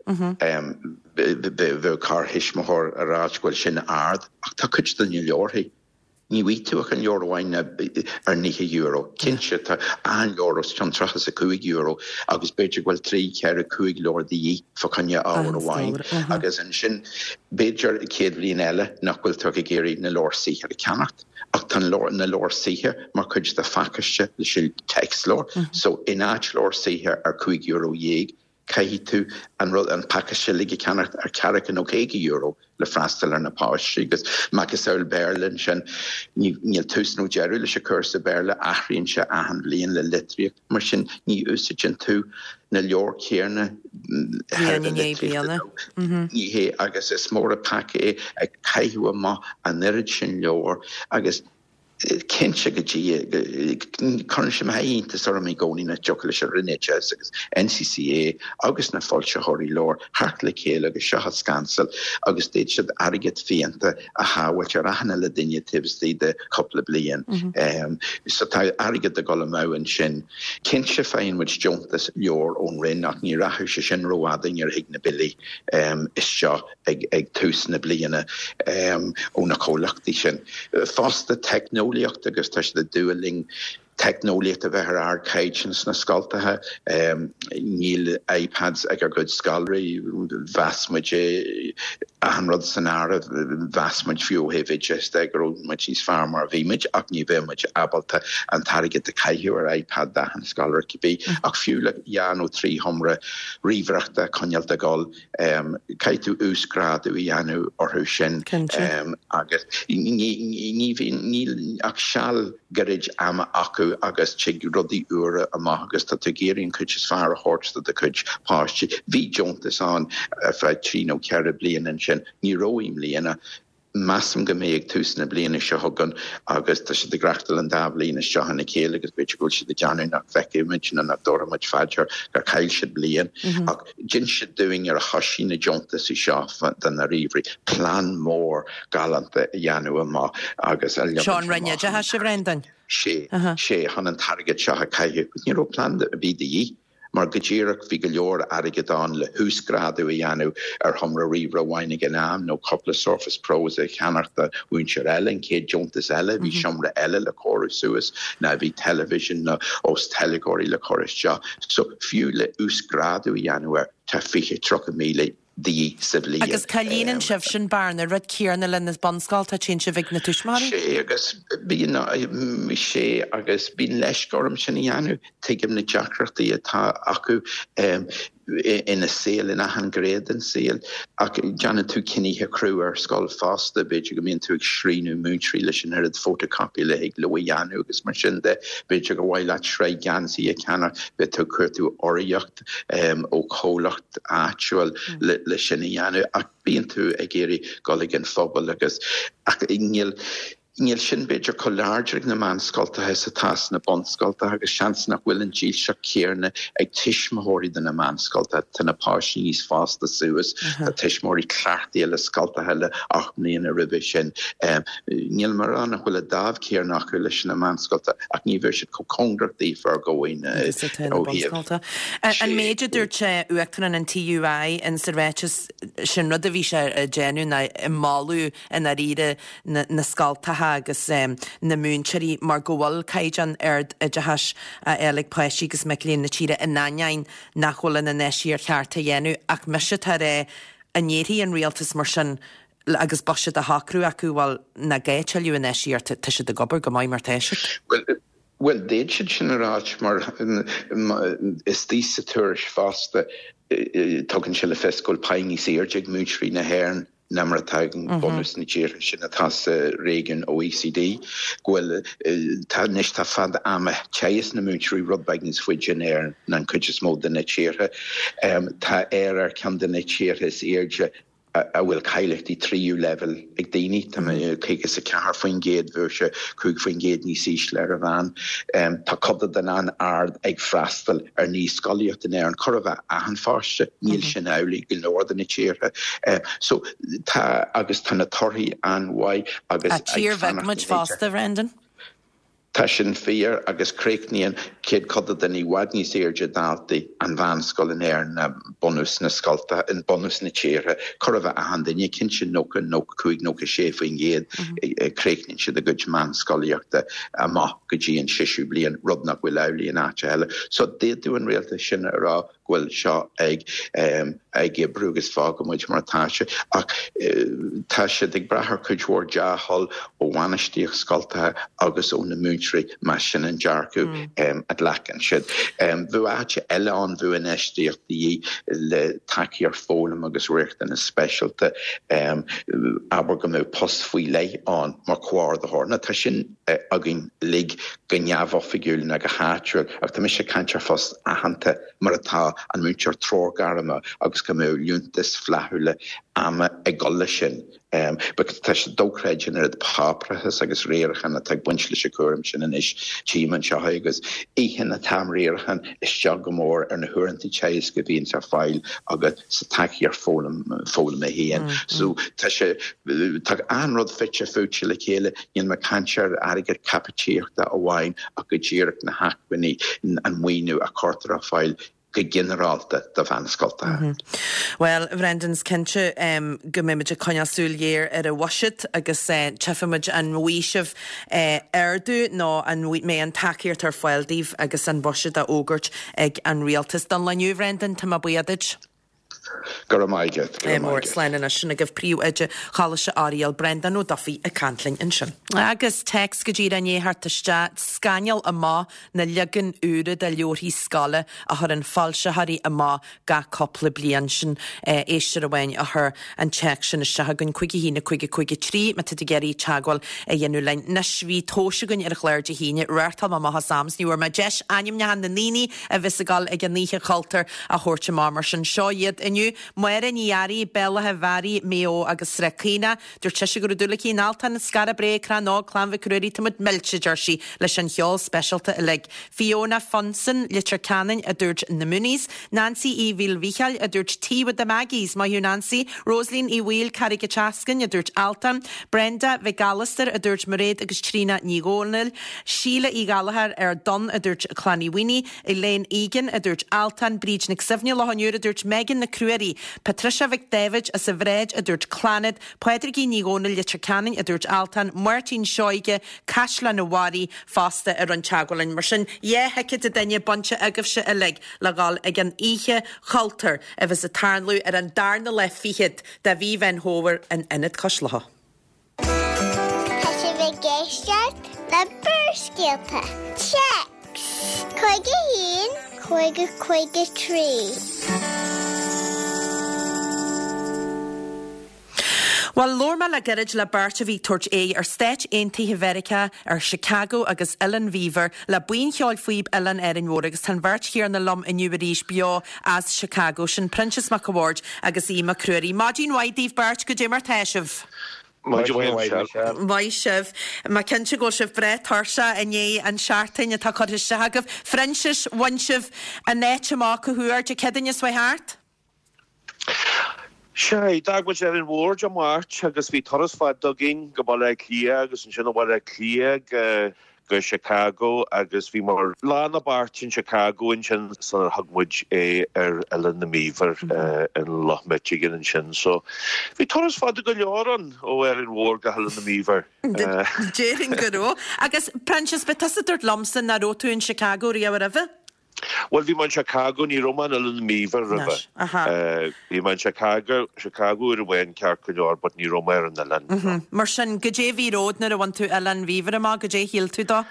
S6: bheadh corrthuismitheoir ag ráit go bhfuil sin ard, ach tá cuid de na leabharthaí, ní bhfaighidh tú ach an leabhar amháin ar €90. Cinnte, tá achan leabhar os cionn €35 agus b'fhéidir go bhfuil trí, ceithre, cúig leabhar de dhíth fá choinne ábhar amháin agus ansin, B'fhéidir an chéad bhliain eile nach bhfuil tú ach ag iarraidh na leabhair saothair a cheannacht, ach tá na leabhair saothair mar chuid de phacáiste leis an téacsleabhar. So in áit leabhar saothair ar €15, caithfidh tú an rud, an pacáiste uilig a cheannacht ar ceathracha nó €50 le freastal ar na páistí. Agus macasamhail Béarla ansin, níl tús nó deireadh leis an chúrsa Béarla, athraíonn sé achan bhliain le litríocht. Mar sin, ní úsáideann tú na leabhair chéanna
S1: bliain i ndiaidh bliana.
S6: Ní hé, agus is mór an peaca é ag caitheamh amach an oiread sin leabhar agus cinnte go dtí, cuireann sé iontas orm i gcónaí nach dtiocfadh leis an Roinn Oideachais agus NCCA agus na foilsitheoirí leabhar theacht le chéile agus seo a scansáil agus d'fhéadfadh siad airgead fiánta a shábháilt ar achan uile duine taobh istigh de chúpla bliain. So tá airgead ag dul amú ansin. Cinnte faigheann muid deontas leabhar ón Roinn ach ní rachadh sé sin rófhada nuair a thig na billí isteach ag tús na bliana ó na comhlachtaí sin. Fosta teicneolaíocht agus tá siad ag dúil linn teicneolaíocht a bheith ar ardchaighdeán sna scoltacha. Níl iPads ag ár gcuid scoláirí. Mheas muid é, achan rud san áireamh, mheas muid fiú ó thaobh oideachais de go raibh muid níos fearr mar a bhí muid ach ní bheadh muid ábalta an t-airgead a chaitheamh ar iPad d'achan scoláire cibé. Ach fiú le dhá nó trí sheomra ríomhaireachta a choinneáilt ag dul, Caithfidh tú uasghrádú a dhéanamh orthu sin agus ní bhíonn, níl ach seal gairid ama acu agus tig rudaí úra amach agus tá tú ag iarraidh an chuid is fearr a thabhairt do do chuid páistí. Bhí deontas ann ar feadh trí nó ceithre bliana ansin, ní raibh i mbliana. Measaim go mbeidh ag tús na bliana seo chugainn agus tá siad ag reachtáil an dá bhliain isteach ina chéile agus b'fhéidir go bhfuil siad ag déanamh nach bhfeicfidh muid nó nach dtabharfaidh muid fá dear gur chaill siad bliain. Ach d'inis siad dúinn nuair a thoisigh na deontasaí seo do na ríomhairí, plean mór galánta a dhéanamh amach agus a
S1: leagan Seo an Roinn Oideachais, a Bhreandáin.
S6: Sé, sé, chun an t-airgead seo a chaitheamh. Ní raibh plean ar bith de dhíth. Mar go díreach bhí go leor airgead ann le huasghrádú a dhéanamh ar sheomra ríomhaire amháin ag an am nó cúpla Surface Pros a cheannacht do mhúinteoir eile, an chéad deontas eile bhí seomra eile le cóiriú suas nó bhí television nó os teilgeoirí le cur isteach. So fiú le uasghrádú a dhéanamh air tá 20, 30,000 de dhíth sa bhliain.
S1: Agus cá líonann sibh sin bearna, rud céanna le na bunscoltacha, téann sibh ag na tuismitheoirí?
S6: Sé agus bíonn, sé agus bíonn leisce orm sin a dhéanamh. Tuigim na deacrachtaí atá acu ina saol, in achan ghné den saol, ach déanann tú cinnithe crua ar scoil fosta, b'fhéidir go mbíonn tú ag srianú múinteoirí leis an oiread photocopy a thig leo a dhéanamh agus mar sin de. B'fhéidir gur mhaith leat sraith geansaí a cheannach, beidh tú ag cuartú urraíocht ó chomhlacht áitiúil le sin a dhéanamh ach bíonn tú ag iarraidh dul ag an phobal agus ach níl Níl sin b'fhéidir chomh láidir ag na meánscoltacha is atá sna bunscoltacha agus seans nach bhfuil an dílseacht chéanna ag tuismitheoirí do na meánscoltacha. Tá na páistí níos fásta suas, tá tuismitheoirí cleachtaithe le scoltacha le 8 mbliana roimhe sin. Níl mé ag rá nach bhfuil an dáimh chéanna acu leis na meánscoltacha ach ní bheidh siad chomh cóngarach daofa ar dhóigh
S1: Agus atá na
S6: ó thaobh
S1: bunscoltacha. An méid a dúirt Uachtarán an TUI in sa ráiteas sin rud a bhí sé ag déanamh ná ag moladh i ndáiríre na scoltacha agus na múinteoirí mar go bhfuil caighdeán ard oideachais á fháil ag páistí agus mic léinn na tíre in ainneoin nach bhfuil an infheistíocht cheart á dhéanamh. Ach mise atá ag rá, an ndéarfaidh an rialtas mar sin agus buiséad á shocrú acu, bhuel, nach gá tuilleadh infheistíochta, tá siad ag obair go maith mar tá siad.
S6: Bhuel, d'fhéad siad sin a ráit mar istigh sa tuairisc fosta tugann sé le fios go bhfuil pá níos airde ag múinteoirí na hÉireann ná mar atá ag bunús na dtíortha sin atá sa réigiún OECD, go bhfuil, tá anois, tá fad ama teagasc na múinteoirí rud beag níos faide in Éirinn ná an chuid is mó de na tíortha. Tá Éire ar cheann de na tíortha is airde a bhfuil cáilíochtaí tríú leibhéal ag daoine, tá 54%, bheadh sé 5% níos ísle ar an mheán. Tá céatadán an-ard ag freastal ar naíscolaíocht in Éirinn, chóir a bheith achan pháiste, níl sin amhlaidh go leor de na tíortha. So tá, agus tá na torthaí an-mhaith agus ag
S1: Tír bheag
S6: fanacht
S1: muid
S6: in éideach.
S1: fosta, Bhrendan.
S6: Tá sin fíor agus críochnaíonn céatadán i bhfad níos airde daltaí an mheánscoil in Éirinn ná bunús na scoltacha, bunús na tíortha. Chóir a bheith achan duine, cinnte 90, 95, 96%, críochnaíonn siad a gcuid meánscolaíochta amach go dtí an seisiú bliain, rud nach bhfuil amhlaidh in áiteacha eile. So d'fhéadfadh an rialtas sin a rá go bhfuil seo ag ag oibriú agus fágfaidh muid mar atá sé. Ach tá siad ag brath ar chuid mhór dea-thoil ó bhainistíocht scoltacha agus ó na múinteoirí más sin an dearcadh a ghlacann siad. Bheadh áit eile ann, bheadh infheistíocht de dhíth le tacaíocht foghlama agus riachtanas speisialta, abair go mbeadh post faoi leith ann mar chomhordaitheoir. Nó tá sin againn uilig go neamhoifigiúil ná go háitiúil ach tá mise ag caint ar phost aitheanta mar atá an múinteoir treoirghairme agus go mbeadh liúntais flaithiúla ama ag dul leis sin because tá sé dochreidte an oiread páipéarachas agus riarachán atá ag baint leis an chúram sin anois tchím anseo é agus itheann an t-am riaracháin isteach go mór ar na huaireanta teagaisc a bhíonns ar fáil agat sa tacaíocht foghlama féin. So tá sé, tá achan rud fite fuaite le chéile, níl mé ag caint ar airgead caipitíochta amháin ach go díreach na hacmhainní, an maoiniú a chuirtear ar fáil go ginearálta do mheánscoltacha.
S1: Bhuel, a Bhrendan, is cinnte go mbeimid ag coinneáil súil ghéar ar an bhuiséad agus tchífimid an bhfaighidh sibh ardú nó an mbeidh an tacaíocht ar fáil daoibh agus an buiséad á fhógairt ag an rialtas. Don lá inniu, a Bhrendan, tá mé buíoch duit.
S6: Go raibh maith agat. Go raibh
S1: maith agat. Slán anois. Sin agaibh Príomhoide Choláiste Oiriall, Breandán Ó Dufaigh ag caint linn ansin. Agus téacs go díreach i ndiaidh theacht isteach, scannal amach na leagain úra de leabharthaí scoile a chuireann foilsitheoirí amach gach cúpla bliain. Sin éisteoir amháin a chuir an téacs sin isteach chugainn, 5 1 5 5 3, má tá tú ag iarraidh teagmháil a dhéanamh linn. Anois, bhí tomhas againn ar an chlár Dé hAoine, reáchtáil mé amach as am 's ní bhfuair mé deis ainmneacha na ndaoine a bheas ag dul ag an Oíche Chultúir a thabhairt amach mar sin. Seo iad inniu. inniu. Máire Ní Fhearraigh, Béal Átha Bhearaigh, Maigh Eo agus Srath Caonach. Dúirt sise go raibh dúil aici in Altan, Skara Brae, Crann Óg, Clann Mhic Ruairí, tá muid millte, a deir sí, leis an cheol speisialta uilig. Fiona Funson, Leitir Ceanainn, a dúirt Na Mooneys. Nancy Uí Mhaoilmhíchíl, a dúirt Tea with the Maggies, maith thú Nancy. Rosaleen Uí Bhaoill, Carraig an tSeascainn, a dúirt Altan. Brenda Mhic Alastair, a dúirt Mairéad agus Tríona Ní Dhomhnaill. Síle Uí Ghallchóir, Ard Donn, a dúirt Clann Uí Mhaonaigh. Elaine Egan, a dúirt Altan. Bríd Nic Suibhne, Loch an Iúir, a dúirt Megan Nic Ruairí. Patricia Mhic Daibhéid as an Bhráid, a dúirt Clannad. Pádraigín Ní Dhomhnaill, Leitir Ceanainn, a dúirt Altan. Máirtín Seoige, Caisleán an Bharraigh, fosta a rinne teagmháil linn. Mar sin, 2 thicéad an duine bainte agaibhse uilig le dhul ag an Oíche Chultúir a bheas ag tarlú ar an darna lá fichead de mhí Mheán Fómhair in Ionad Cois Locha.
S3: Tá sibh ag éisteacht le Barrscéalta. Téacs 51 50 53.
S1: Bhuel, labhair mé le gairid le beirt a bhí ag tabhairt aghaidh ar Stáit Aontaithe Mheiriceá, ar Chicago agus Oileán Mhíobhair, le Buíon Cheoil Phíob Oileán Árainn Mhór agus tá an bheirt chéanna liom inniu arís beo as Chicago, sin Proinsias Mac a' Bhaird agus Aodh Mac Ruairí. Maidin mhaith daoibh beirt, goidé mar tá sibh?
S7: Maidin mhaith, Michelle.
S1: Maith sibh. Mé cinnte go bhfuil sibh breá tuirseach i ndiaidh an seachtain atá curtha isteach agaibh. Phroinsiais, bhain sibh an áit amach cá huair, Dé Céadaoine seo chuaigh thart?
S7: Sea, d'fhág muid Árainn Mhór Dé Máirt agus bhí turas fada againn go Baile Átha Cliath agus ansin ó Bhaile Átha Cliath go go Chicago agus bhí muid lá na beairt in Chicago ansin sular thug muid aghaidh ar Oileán na mBeaver in Loch Michigan ansin. So bhí turas fada go leor ann ó Árainn Mhór go hOileán na mBeaver.
S1: Déarfainn go raibh. Agus Proinsias, ba tusa a dúirt liomsa nach raibh tú in Chicago riamh roimhe?
S7: Bhuel, bhí mé in Chicago, ní raibh mé in Oileán na mBeaver roimhe. Bhí mé in Chicago, Chicago uair amháin ceart go leor, but ní raibh mé ar an oileán.
S1: Mar sin, goidé a bhí romhat nuair a bhain tú Oileán Mhíobhair amach, goidé a shíl tú dó?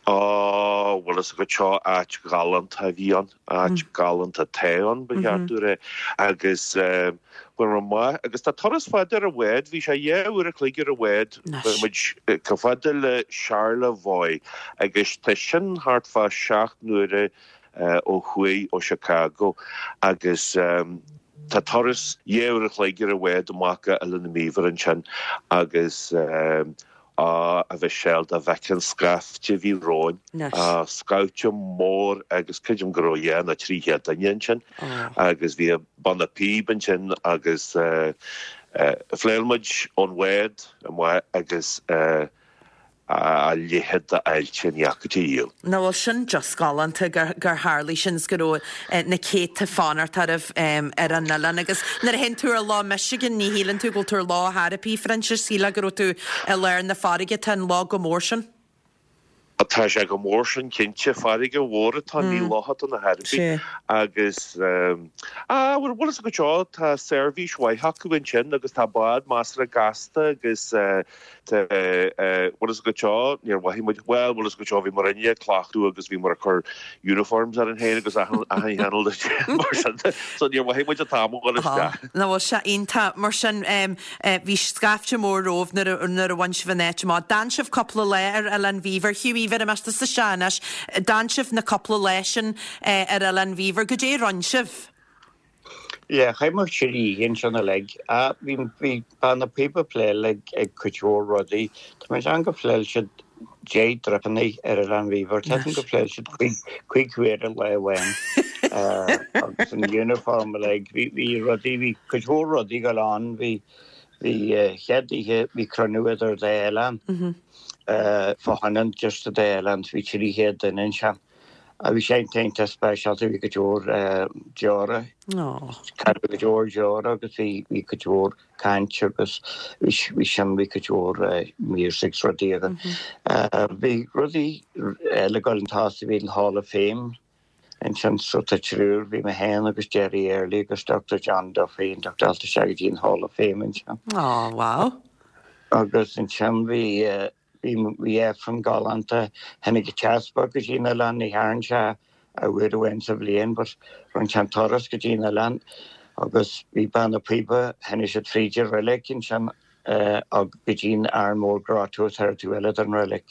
S7: Ó, bhfuil fhios agat seo áit ghalánta a bhí ann, áit galánta atá ann, ba cheart domh a rá. Agus bhain mé amach, agus tá turas fada ar an bhád, bhí sé dhá uair a chloig ar an bhád, Bhí muid chomh fada le Charlevoix agus tá sin thart fá sheacht n-uaire ó thuaidh ó Chicago agus tá turas dhá uair a chloig ar an bhád amach go Oileán na mBeaver ansin agus á, a Mhichelle, dá bhfeicfeá an scaifte a bhí romhainn, scaifte mór agus creidim go raibh dhá nó 300 duine ansin agus bhí banna píob ansin agus Phléasc muid ón bhád amach agus a leithéid d'fháilte ní fhaca tú riamh.
S1: Nach bhfuil sin just galánta gur tharlaigh sin is go raibh na céadta fanacht oraibh ar an oileán. Agus nuair a théann tú ar Loch Michigan ní shíleann tú go bhfuil tú ar loch ar bith, Phroinsias, shílfeá go raibh tú i lár na farraige, tá an loch chomh mór sin.
S7: Tá sé chomh mór sin cinnte. Farraige mhór atá ann, ní loch atá ann ar chor ar bith. Agus, ah, bhuel, bhfuil fhios agat seo, tá seirbhís mhaith acu ansin agus tá bád measartha gasta agus tá, bhfuil fhios agat seo, níor mhothaigh muid, bhuel, bhfuil fhios agat seo, bhí muidinne ag cleachtadh agus bhí muid ag cur uniforms orainn féin agus achan chineál mar sin de, so níor mhothaigh muid an t-am a dhul isteach.
S1: Nach bhfuil sé iontach. Mar sin, Bhí scaifte mór romhaibh nuair a bhain sibh an áit amach. D'fhan sibh cúpla lá ar Oileán Mhíobhair. Hughie, bhéarfaidh mé tusa isteach anois. D'fhan sibh na cúpla lá sin ar Oileán Mhíobhair. Goidé a rinne sibh?
S8: Yeah, chaith muid trí oíche ansin uilig. Bhí bhí banna píob ag pléáil ag ag cuid mhór rudaí. Tá mé ag déanamh gur phléáil siad deich dtripeanna ar Oileán Mhíobhair. Tá gur phléáil siad cuig huaire lá amháin. Agus an uniform uilig. Bhí bhí rudaí, bhí cuid mhór rudaí ag dul on. Bhí bhí chéad oíche bhí cruinniú idir dá oileán. Fá choinne just an dá oileán. Bhí 300 duine ansin. Bhí sé iontach speisialta, bhí cuid mhór deora. Cailleadh cuid mhór deora agus bhí bhí cuid mhór caint agus bhí sin bhí cuid mhór music 's rudaí againn. Bhí rudaí eile ag dul an tosaigh, bhí an Hall of Fame ansin so tá triúr, bhí mé féin agus Gerry Early agus Dr John Duffy inducted isteach go dtí an Hall of Fame ansin.
S1: Ó, wow.
S8: Agus ansin bhí Bhí bhí Aifreann galánta. Tháinig an t-easpag go dtí an oileán, ní thagann sé ach uair amháin sa bhliain but rinne sé an turas go dtí an oileán agus bhí banna píoba, tháinig siad fríd an reilig ansin go dtí an Arranmore Grotto atá ar an taobh eile den reilig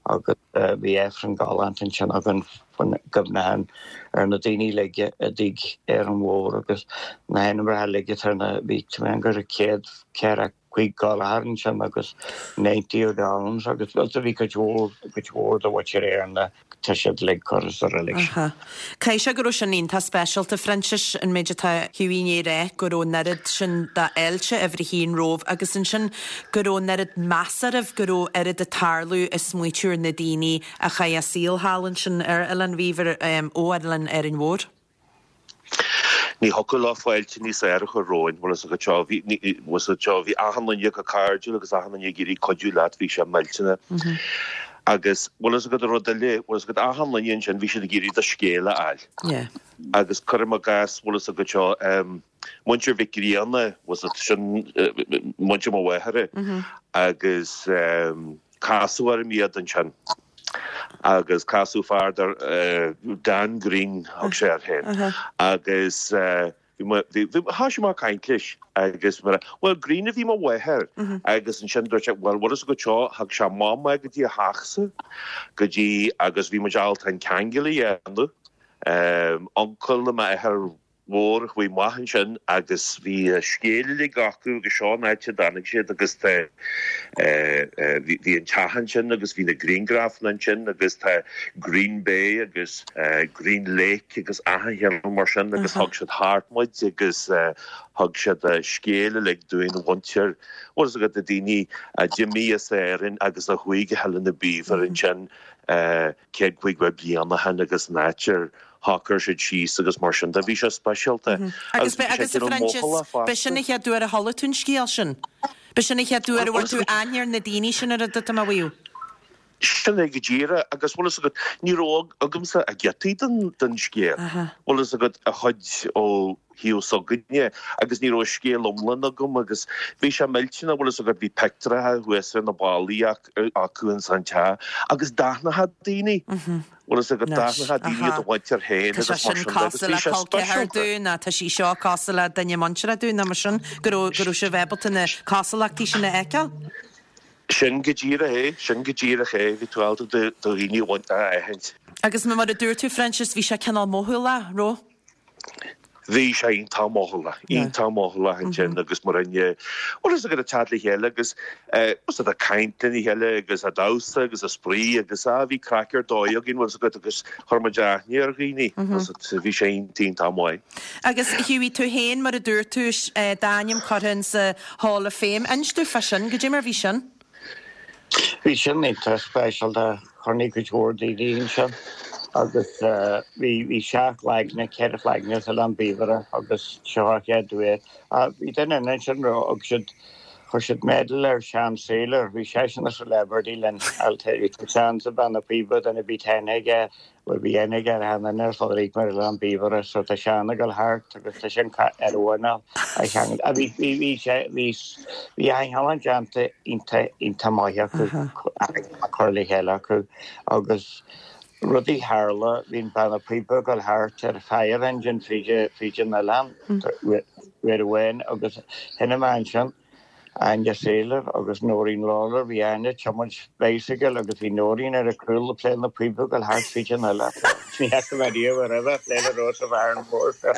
S8: agus bhí Aifreann galánta ansin againn. Faoin gcuimhneachán ar na daoine uilig a d'fhág Árainn Mhór agus na hainmneacha uilig atá ar na, bhí tá mé go raibh 145 colchar ansin agus 90 odd arms agus bhuel bhí cuid mhór, cuid mhór de mhuintir Éireann tá siad uilig curtha sa reilig sin.
S1: Aha. Caithfidh sé go raibh sin iontach speisialta, Phroinsias, an méid atá Hughie i ndiaidh a rá, go raibh an oiread sin d'fháilte uimhir a haon romhaibh agus ansin go raibh an oiread meas oraibh, go raibh oiread ag tarlú ag smaoitiú ar na daoine a chaith a saol thall ansin ar Oileán Mhíobhair, ó Oileán Árainn Mhór.
S7: Ní thiocfadh leo fáilte níos fearr a chur romhainn, bhfuil fhios agat seo, bhí, bhfuil fhios agat seo, bhí achan duine acu cairdiúil agus achan duine ag iarraidh cuidiú leat, bhí sé millteanach. Agus, bhfuil fhios agat an rud eile, bhfuil fhios agat achan duine ansin, bhí siad ag iarraidh do scéal a fháil.
S1: Yeah.
S7: Agus cuirim i gcás, bhfuil fhios agat seo, muintir Mhic Grianna, bhfuil fhios agat, sin muintir mo mháthara, agus, Casadh orm iad ansin agus casadh fear dar Dan Green thug sé air féin agus bhí mé, bhí, bhí, thoisigh mé ag caint leis agus mé, bhuel Green a bhí mo mháthair agus ansin dúirt sé, bhuel bhfuil fhios agat seo, thug sé amach mé go dtí a theachsa go dtí agus bhí muid ábalta an ceangal a dhéanamh, uncail le m'athair mhór a chuaigh amach ansin agus bhí a scéal uilig acu agus seo an áit a dtáinig siad agus tá bhí bhí an teach ansin agus bhí na griangrafanna ansin agus tá Green Bay agus Green Lake agus achan cheann mar sin agus thug siad thart muid agus thug siad a scéal uilig dúinn a mhuintir bhfuil fhios agat na daoine a d'imigh as Éirinn agus a chuaigh go hOileán na Bíobhair ansin 150 bliain ó shin agus an áit ar shocair siad síos agus mar sin de. Bhí sé speisialta
S1: Agus b'é agus a Phroinsias, b'é sin an chéad uair a chuala tú an scéal sin? B'é sin an chéad uair a bhfuair tú aithne ar na daoine sin ar a dtugtar mar mhaíomh?
S7: Sin é go díreach agus bhfuil fhios agat, ní raibh agamsa ach giotaí den den scéal. Bhfuil fhios agat a chuid ó thaobh s'againne agus ní raibh an scéal iomlán agam agus bhí sé millteanach, bhfuil fhios agat, bhí pictiúracha thuas ar na ballaí acu ins an teach agus d'aithneofá daoine. Bhfuil fhios agat, d'aithneofá daoine do mhuintir féin
S1: Tá sé
S7: agus mar
S1: sin
S7: sin de agus
S1: cosúil
S7: bhí
S1: le
S7: sé
S1: col ceathar
S7: speisialta.
S1: dúinn, nó tá sí seo cosúil le duine muinteartha dúinn, nó mar sin, go raibh, go raibh sibh ábalta na cosúlachtaí sin a fheiceáil.
S7: Sin go díreach é, sin go díreach é, bhí tú ábalta do dhaoine a aithint.
S1: Agus mar a dúirt tú, Phroinsias, bhí sé cineál mothúlach, raibh?
S7: Bhí sé iontach mothúlach, iontach mothúlach ansin agus mar aon, bhfuil fhios agat ag teacht le chéile agus bhfuil fhios agat ag caint lena chéile agus ag damhsa agus ag spraoi agus ah bhí craic ar dóigh againn bhfuil fhios agat agus chuir muid aithne ar dhaoine, bhfuil fhios agat, bhí sé iontach iontach maith.
S1: Agus Hughie, tú féin mar a dúirt tú, d'ainm curtha in sa Hall of Fame, inis domh fá sin, goidé mar bhí sin?
S8: Bhí sin iontach speisialta, chonaic cuid mhór daoine ansin agus bhí bhí seacht gcloigne, ceithre chloigne as Oileán Bíobhaire agus seo an chéad uair. Bhí duine eile ansin raibh thug siad chuir siad medal ar Seán Saylor, bhí seisean a celebrity linn, I'll tell you, tá Seán sa Beanna Píoba, duine ar bith aithne aige. Bhuel bhí aithne aige ar achan duine ar fud Ríocht mar Oileán Bíobhaire so tá Seán ag dul thart agus tá sin ar uain a cheangal. Ah bhí bhí bhí sé bhí bhí achan cheann déanta iontach iontach maith acu a cur le chéile acu agus rudaí tharla bhí an banna píoba ag dul thart ar fire engine fríd fríd an oileán uair amháin agus tháinig mé ansin Áine Saylor agus Noreen Lawlor, bhí Áine ag tiomáint bicycle agus bhí Noreen ar a cúl ag pléáil na píoba ag dul thart fríd an oileán. Ní fhaca mé riamh roimhe ag pléáil ar nós an bhfear mór seo.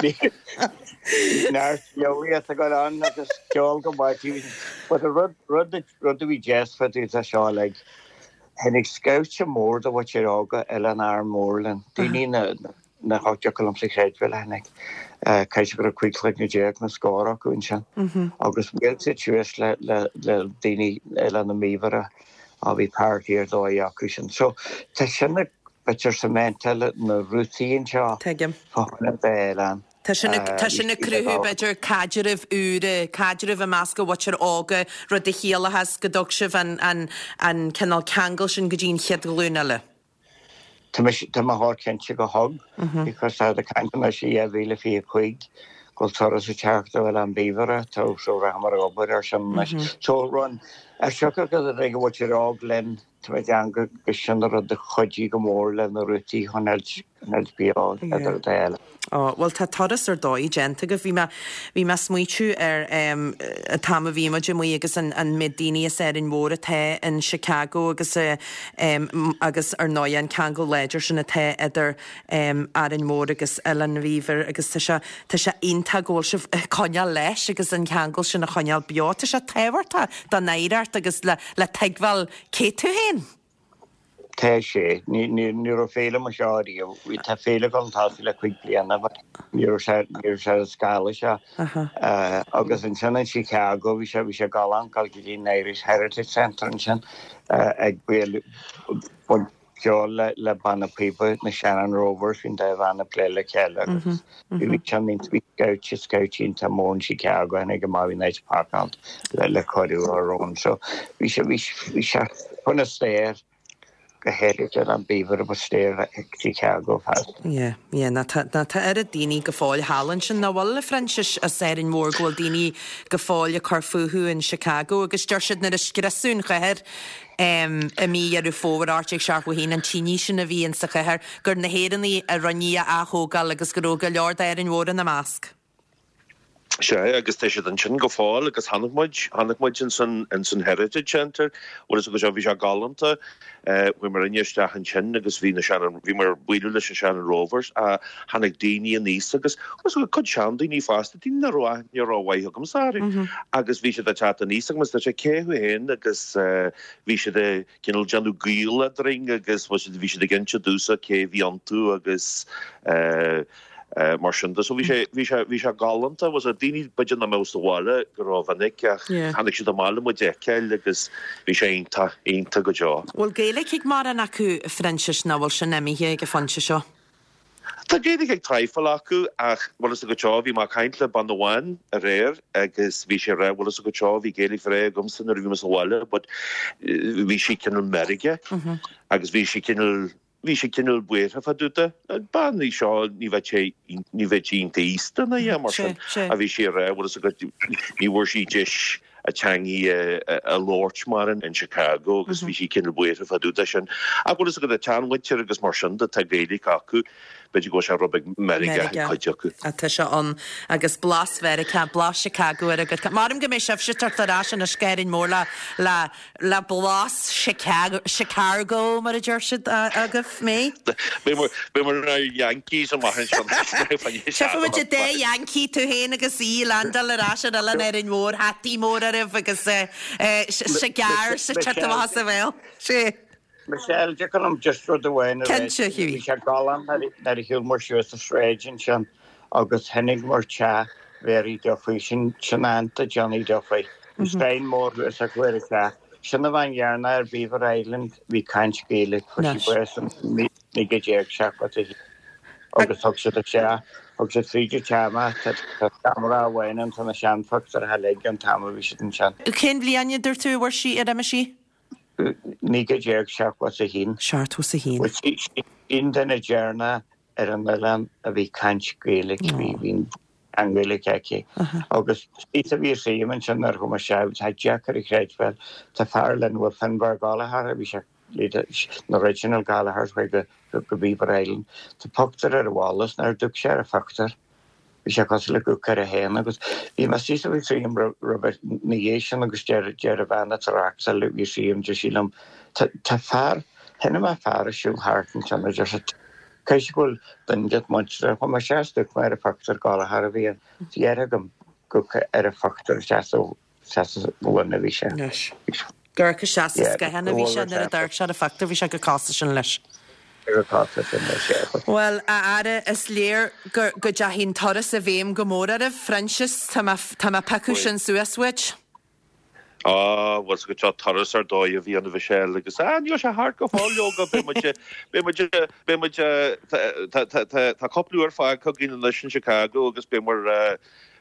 S8: Bhí neart eolaíocht ag dul ann agus ceol go maith. But an rud, rud, rud a bhí deas fá dtaobh de seo uilig, tháinig scaifte mór de mhuintir óga Oileán Árainn Mhór linn, daoine na, nach dtiocfadh liomsa a chreidbheáil a tháinig. Caithfidh sé go raibh 15 chloigne nó scór acu ansin. Agus bhuail siad suas le daoine Oileán na mBíobhaire a bhí party ar dóigh acu sin. So tá sin ag b'fhéidir cementáil na rútaí anseo
S1: Tuigim.
S8: fá choinne d'oileán.
S1: Tá sin tá sin ag cruthú b'fhéidir caidreamh úra, caidreamh i measc an mhuintir óga, rud a chiallachas go dtug sibh an an an cineál ceangal sin go dtí an chéad ghlúin eile.
S8: Tá mise, tá mé chomh cinnte go thug, because tá ag caint anois i 2025 go bhfuil turas ag teacht ó Oileán Bíobhaire, tá so rachaimid ag obair ar sin anois. So run. As siocair go dtig a mhuintir óg linn, tá mé ag déanamh go sin an rud a chuidigh go mór le na rútaí chun fháilt beo idir an dá eile.
S1: Ó, bhuel tá turas ar dóigh déanta agaibh. Bhí mé, bhí mé ag smaoitiú ar an t-am a bhí muid amuigh agus an, an méid daoine as Árainn Mhór atá in Chicago agus agus ar ndóigh an ceangal láidir sin atá idir Árainn Mhór agus Oileán Mhíobhair agus tá sé, tá sé iontach go bhfuil sibh ag coinneáil leis agus an ceangal sin a choinneáil beo. Tá sé tábhachtach don oidhreacht agus le, le tuigbheáil cé tú féin.
S8: Tá sé. Ní, ní, ní raibh féile mar seo ariamh. Bhí, tá féile ag dul chun tosaigh le cuig bliana but ní raibh sé, ní raibh sé ar an scála seo. Agus ansin in Chicago bhí sé, bhí sé galánta dul go dtí an Irish Heritage Centre ansin ag bualadh, ceol le banna píoba na Shannon Rovers, bhí an dá bhanna ag plé le chéile agus bhí bhí scout scout iontach mór in Chicago tháinig amach bhí an áit pacáilte le cuireadh a rón so bhí sé bhí bhí sé chun a stair go háirithe ar an Beaver ba stair Chicago feasta.
S1: Yeah, yeah, ná tá ná tá oiread daoine go fóill thall ansin nach bhfuil a Phroinsiais as Árainn Mhór go bhfuil daoine go fóill ag cur fúthu in Chicago agus deir siad nuair a scriosadh an chathair i mí Dheireadh Fómhair 1871, an tine sin a bhí insa chathair, gur na hÉireannaigh a rinne í a ath-thógáil agus go raibh go leor d'Árainn Mhór ina measc.
S7: Sea, agus tá siad ansin go fóill agus chonaic muid, chonaic muid ins an, ins an Heritage Centre, bhfuil fhios agat, bhí sé galánta, chuaigh muid isteach ansin agus bhí na Shannon, bhí muid ag bualadh leis na Shannon Rovers, tháinig daoine aníos agus, bhfuil fhios agat, cuid seandaoine fosta, daoine nach raibh aithne rómhaith agamsa orthu agus bhí siad ag teacht aníos agus dúirt sé cé thú féin agus bhí siad ag cineál déanamh gaol eadrainn agus bhí siad bhí siad ag inse domhsa cé a bhí iontu agus mar sin de. So bhí sé bhí sé bhí sé galánta was daoine b'fhéidir nach mbeadh sa bhaile go rómhinic ach tháinig siad amach le muid a fheiceáil agus bhí sé iontach iontach go deo.
S1: Bhfuil Gaeilge ag mórán acu a Phroinsiais nó bhfuil sin imithe ag an phointe seo?
S7: Tá Gaeilge ag traidhfil acu ach bhfuil fhios agat seo, bhí mé ag caint le bean amháin aréir agus bhí sí ag rá bhfuil fhios agat seo, bhí Gaeilge bhreá agamsa nuair a bhí mé sa bhaile but bhí sí cineál meirgeach agus bhí sí cineál, bhí sí cineál buartha fá dtaobh de. Bean í seo, ní bheadh sé, ní bheadh sí iontach aosta ná a dhath mar sin ach bhí sí ag rá bhfuil fhios agat, ní bhfuair sí deis a teangaidh a labhairt mar in Chicago agus bhí sí cineál buartha fá dtaobh de sin. Ach bhfuil fhios agat, an tseanmhuintir agus mar sin de, tá Gaeilge acu, b'fhéidir go bhfuil sé rud beag meirgeach ag cuid acu.
S1: Tá sé ann agus blas Mheiriceá, blas Chicago ar a gcuid. Maram go mbeidh sibhse ag teacht ar ais anois go hÁrainn Mhór le, le, Le blas Chicago, Chicargo mar a deir siad agaibh, mé.
S7: Beidh muid inár Yankees amach anseo.
S1: Tchífidh muid an dá Yankee, tú féin agus í, ag landáil ar ais ar oileán Árainn Mhór, hataí mór oraibh agus cigar sa tigh amach as a bhéal. Sé.
S8: Michelle, dtiocfadh liom just rud amháin a rá.
S1: Cinnte, Hughie.
S8: Bhí sé galánta nuair a shiúil muid suas an sráid ansin agus chonaic muid teach Mhary Duffy, sin sin aunt do Johnny Duffy. Bhí sign mór thuas acu ar an teach. Sin an bhean dheireanach ar Beaver Island a bhí ag caint Gaeilge. Fuair sí bás in 1971 agus thug siad isteach, thug siad fríd an teach mé. Tá seomra amháin ann, tá na seanphictiúirí uilig ón t-am a bhí siad ansin.
S1: Cén bhliain a dúirt tú a bhfuair sí, ar imigh sí?
S8: 1971.
S1: 71.
S8: Bhuel, sí an duine deireanach ar an oileán a bhí ag caint Gaeilge, bhí an Ghaeilge aici. Agus thíos a bhí a suím ansin nuair a chuaigh mé isteach, tá deacair a chreidbheáil, tá fear linn bhfuil Finbar Gallagher, bhí sé na original Gallaghers chuaigh go Beaver Island. Tá pictiúr ar an bhalla is nuair a d'amharc sé ar an phictiúr, bhí sé cosúil le gur amharc air féin agus bhí mé síos a bhí suím roimhe na dhiaidh sin agus deir deir an bhean atá reachtáil bhí suím deir sí liom tá fear, chonaic mé fear ag siúl thart ansin a deir sé Caithfidh go bhfuil duine de do mhuintir ann. Chuaigh mé isteach is d'amharc mé ar an phictiúr Gallagher a bhí ann. Bhí air agam gur ar an phictiúr isteach sa ghloine a bhí sé.
S1: Anois. Gur amharc isteach sa scáthán a bhí sé nuair a d'amharc sé ar an phictiúr, bhí sé chomh cosúil sin leis.
S8: Chomh cosúil sin leis, yeah.
S1: Bhuel, a Aire, is léir go go dteachaidh an turas i bhfeidhm go mór oraibh. Phroinsias, tá mé tá mé ag piocadh sin suas uait.
S7: Á, bhuel, is go deo turas ar dóigh a bhí ann a Mhichelle agus, á, níl sé thart go fóill leoga, beidh muid, beidh muid, beidh muid, tá, tá, tá, tá cúpla uair fágtha againn anois in Chicago agus beidh muid,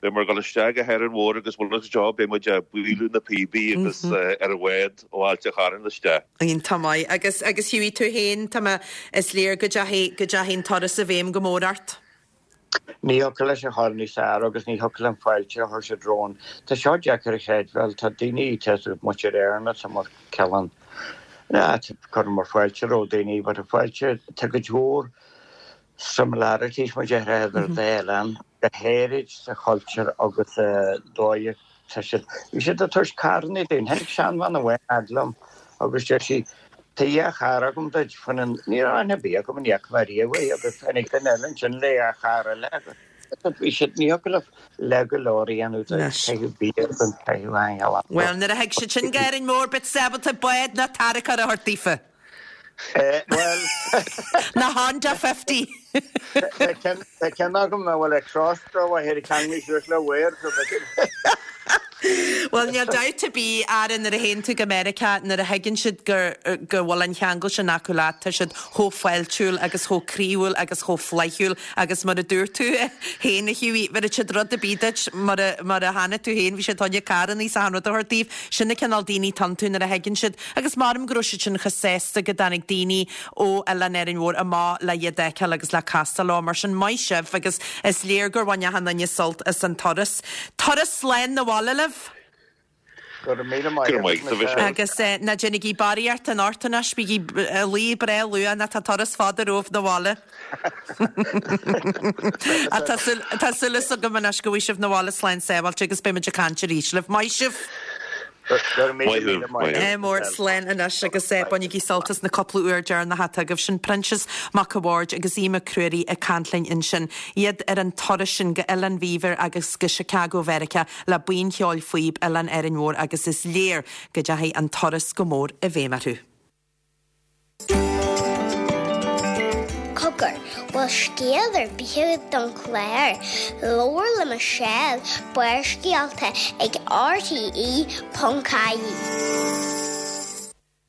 S7: beidh muid ag dul isteach go hÁrainn Mhór agus bhuel, go deo beidh muid ag bualadh na píobaí agus ar an bhád ó Ailt an Chairn isteach.
S1: Iontach maith. Agus, agus Hughie, tú féin, tá mé, is léir go dteachaidh, go dteachaidh an turas i bhfeidhm go mór ort.
S8: Ní thiocfadh leis a ghabháil níos fearr agus ní thiocfadh an fáilte a chuir siad romhainn. Tá seo deacair a chreidbheáil, tá daoine tá muintir Éireann atá mar cineál, cuireann muid fáilte roimh daoine but a fáilte, tá cuid mhór similarities mar déarfá idir an dá oileán, go háirid sa chultúr agus sa dóigh atá siad, bhí siad ag tabhairt carranna dúinn, tháinig seanbhean amháin fhad liom agus deir sí, tá dhá charr agam duit, fan an, ní raibh aithne ar bith agam ní fhaca mé riamh í agus tháinig duine eile ansin le dhá charr eile agus bhí siad, ní thiocfadh leat le go leor a dhéanamh de caitheamh bia don caitheamh aingealach.
S1: Bhuel, nuair a thig siad sin go Árainn Mhór, beid siad ábalta bád ná tarracóir a thabhairt daofa.
S8: Bhuel.
S1: Ná Honda 50.
S8: Tá ceann agam a bhfuil ag cross-draw a théid ceanglais suas le wire so b'fhéidir.
S1: Bhuel, níl dabht ar bith, Aaron, nuair a théann tú go Meiriceá, nuair a thuigeann siad gur, go bhfuil an cheangal sin acu leat, tá siad chomh fáiltiúil agus chomh croíúil agus chomh flaithiúil agus mar a dúirt tú féin, a Hughie, bhéarfaidh siad rud ar bith duit mar a, mar a chonaic tú féin, bhí siad fá choinne carrannaí is achan rud a thabhairt daoibh. Sin an cineál daoine atá iontu nuair a thuigeann siad Agus measaim go raibh siad sin chomh sásta go dtáinig daoine ó Oileán Árainn Mhór amach le iad a fheiceáil agus le castáil leo. Mar sin, maith sibh agus is léir gur bhain achan duine sult as an turas. Turas slán 'na bhaile libh!
S8: Go raibh míle maith
S7: Go raibh maith agat, a Mhichelle.
S1: Agus ná déanaigí barraíocht anocht anois, bígí ag luí breá luath nó tá turas fada romhaibh 'na bhaile. Ach tá súil, tá súil agam anois go bhfaighidh sibh 'na bhaile slán sábháilte agus beidh muid ag caint arís libh. Maith sibh!
S7: Maith thú.
S1: Ádh mór slán anois agus bainigí sult as na cúpla uair deireanach atá agaibh. Sin Proinsias Mac a' Bhaird agus Aodh Mac Ruairí ag caint linn ansin. Iad ar an turas sin go Oileán Mhíobhair agus go Chicago Mheiriceá le Buíon Cheoil Phíob Oileán Árainn Mhór agus is léir go dteachaigh an turas go mór i bhfeidhm orthu.
S3: Cogar, bhfuil scéal ar bith agat don chlár? Labhair le Michelle, Barrscéalta ag rte.ie.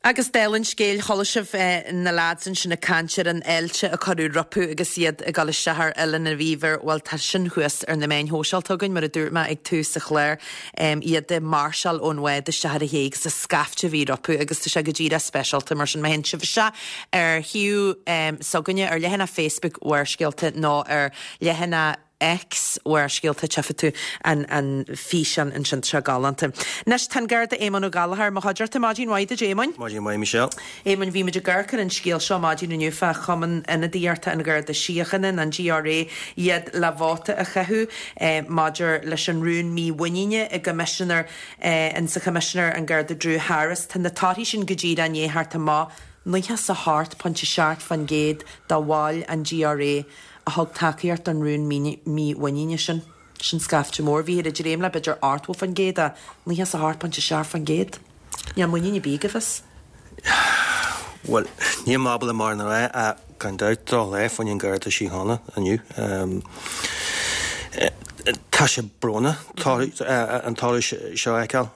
S1: Agus dála an scéil, chuala sibh na leaids ansin ag caint ar an fháilte a cuireadh rompu agus iad ag dul isteach ar Oileán an Mhíobhair. Bhuel, tá sin thuas ar na meáin shóisialta againn, mar a dúirt mé ag tús an chláir. iad ag máirseáil ón bhád isteach ar an ché agus an scaifte a bhí rompu agus tá sé go díreach speisialta mar sin má théann sibh isteach ar shuíomh s'againne ar leathanach Facebook Bharrscéalta nó ar leathanach X Bharrscéalta tchífidh tú an an físeán ansin tá sé galánta. Anois tá an Garda Éamonn Ó Gallchóir i mo chuideachta. Maidin mhaith duit Éamoinn.
S9: Maidin mhaith Michelle.
S1: Éamoinn, bhí muid ag amharc ar an scéal seo maidin inniu fá Chumann Ionadaíochta an Gharda Síochána, an GRA, iad le vóta a chaitheamh maidir leis an rún mímhuiníne i gCoimisinéir, in sa Choimisinéir an Garda Drew Harris. Tá na torthaí sin go díreach i ndiaidh theacht amach, 98.7% de bhaill an GRA a thug tacaíocht don rún mímhuiníne sin. Sin scaifte mór. Bhíthear ag dréim le b'fhéidir 80% ach 98.7%. Níl muinín ar bith agaibh as.
S9: Bhuel, níl mé ábalta mórán a rá ach gan dabht drochlá fá choinne an Garda Síochána inniu. Tá sé brónach an toradh seo a fheiceáil.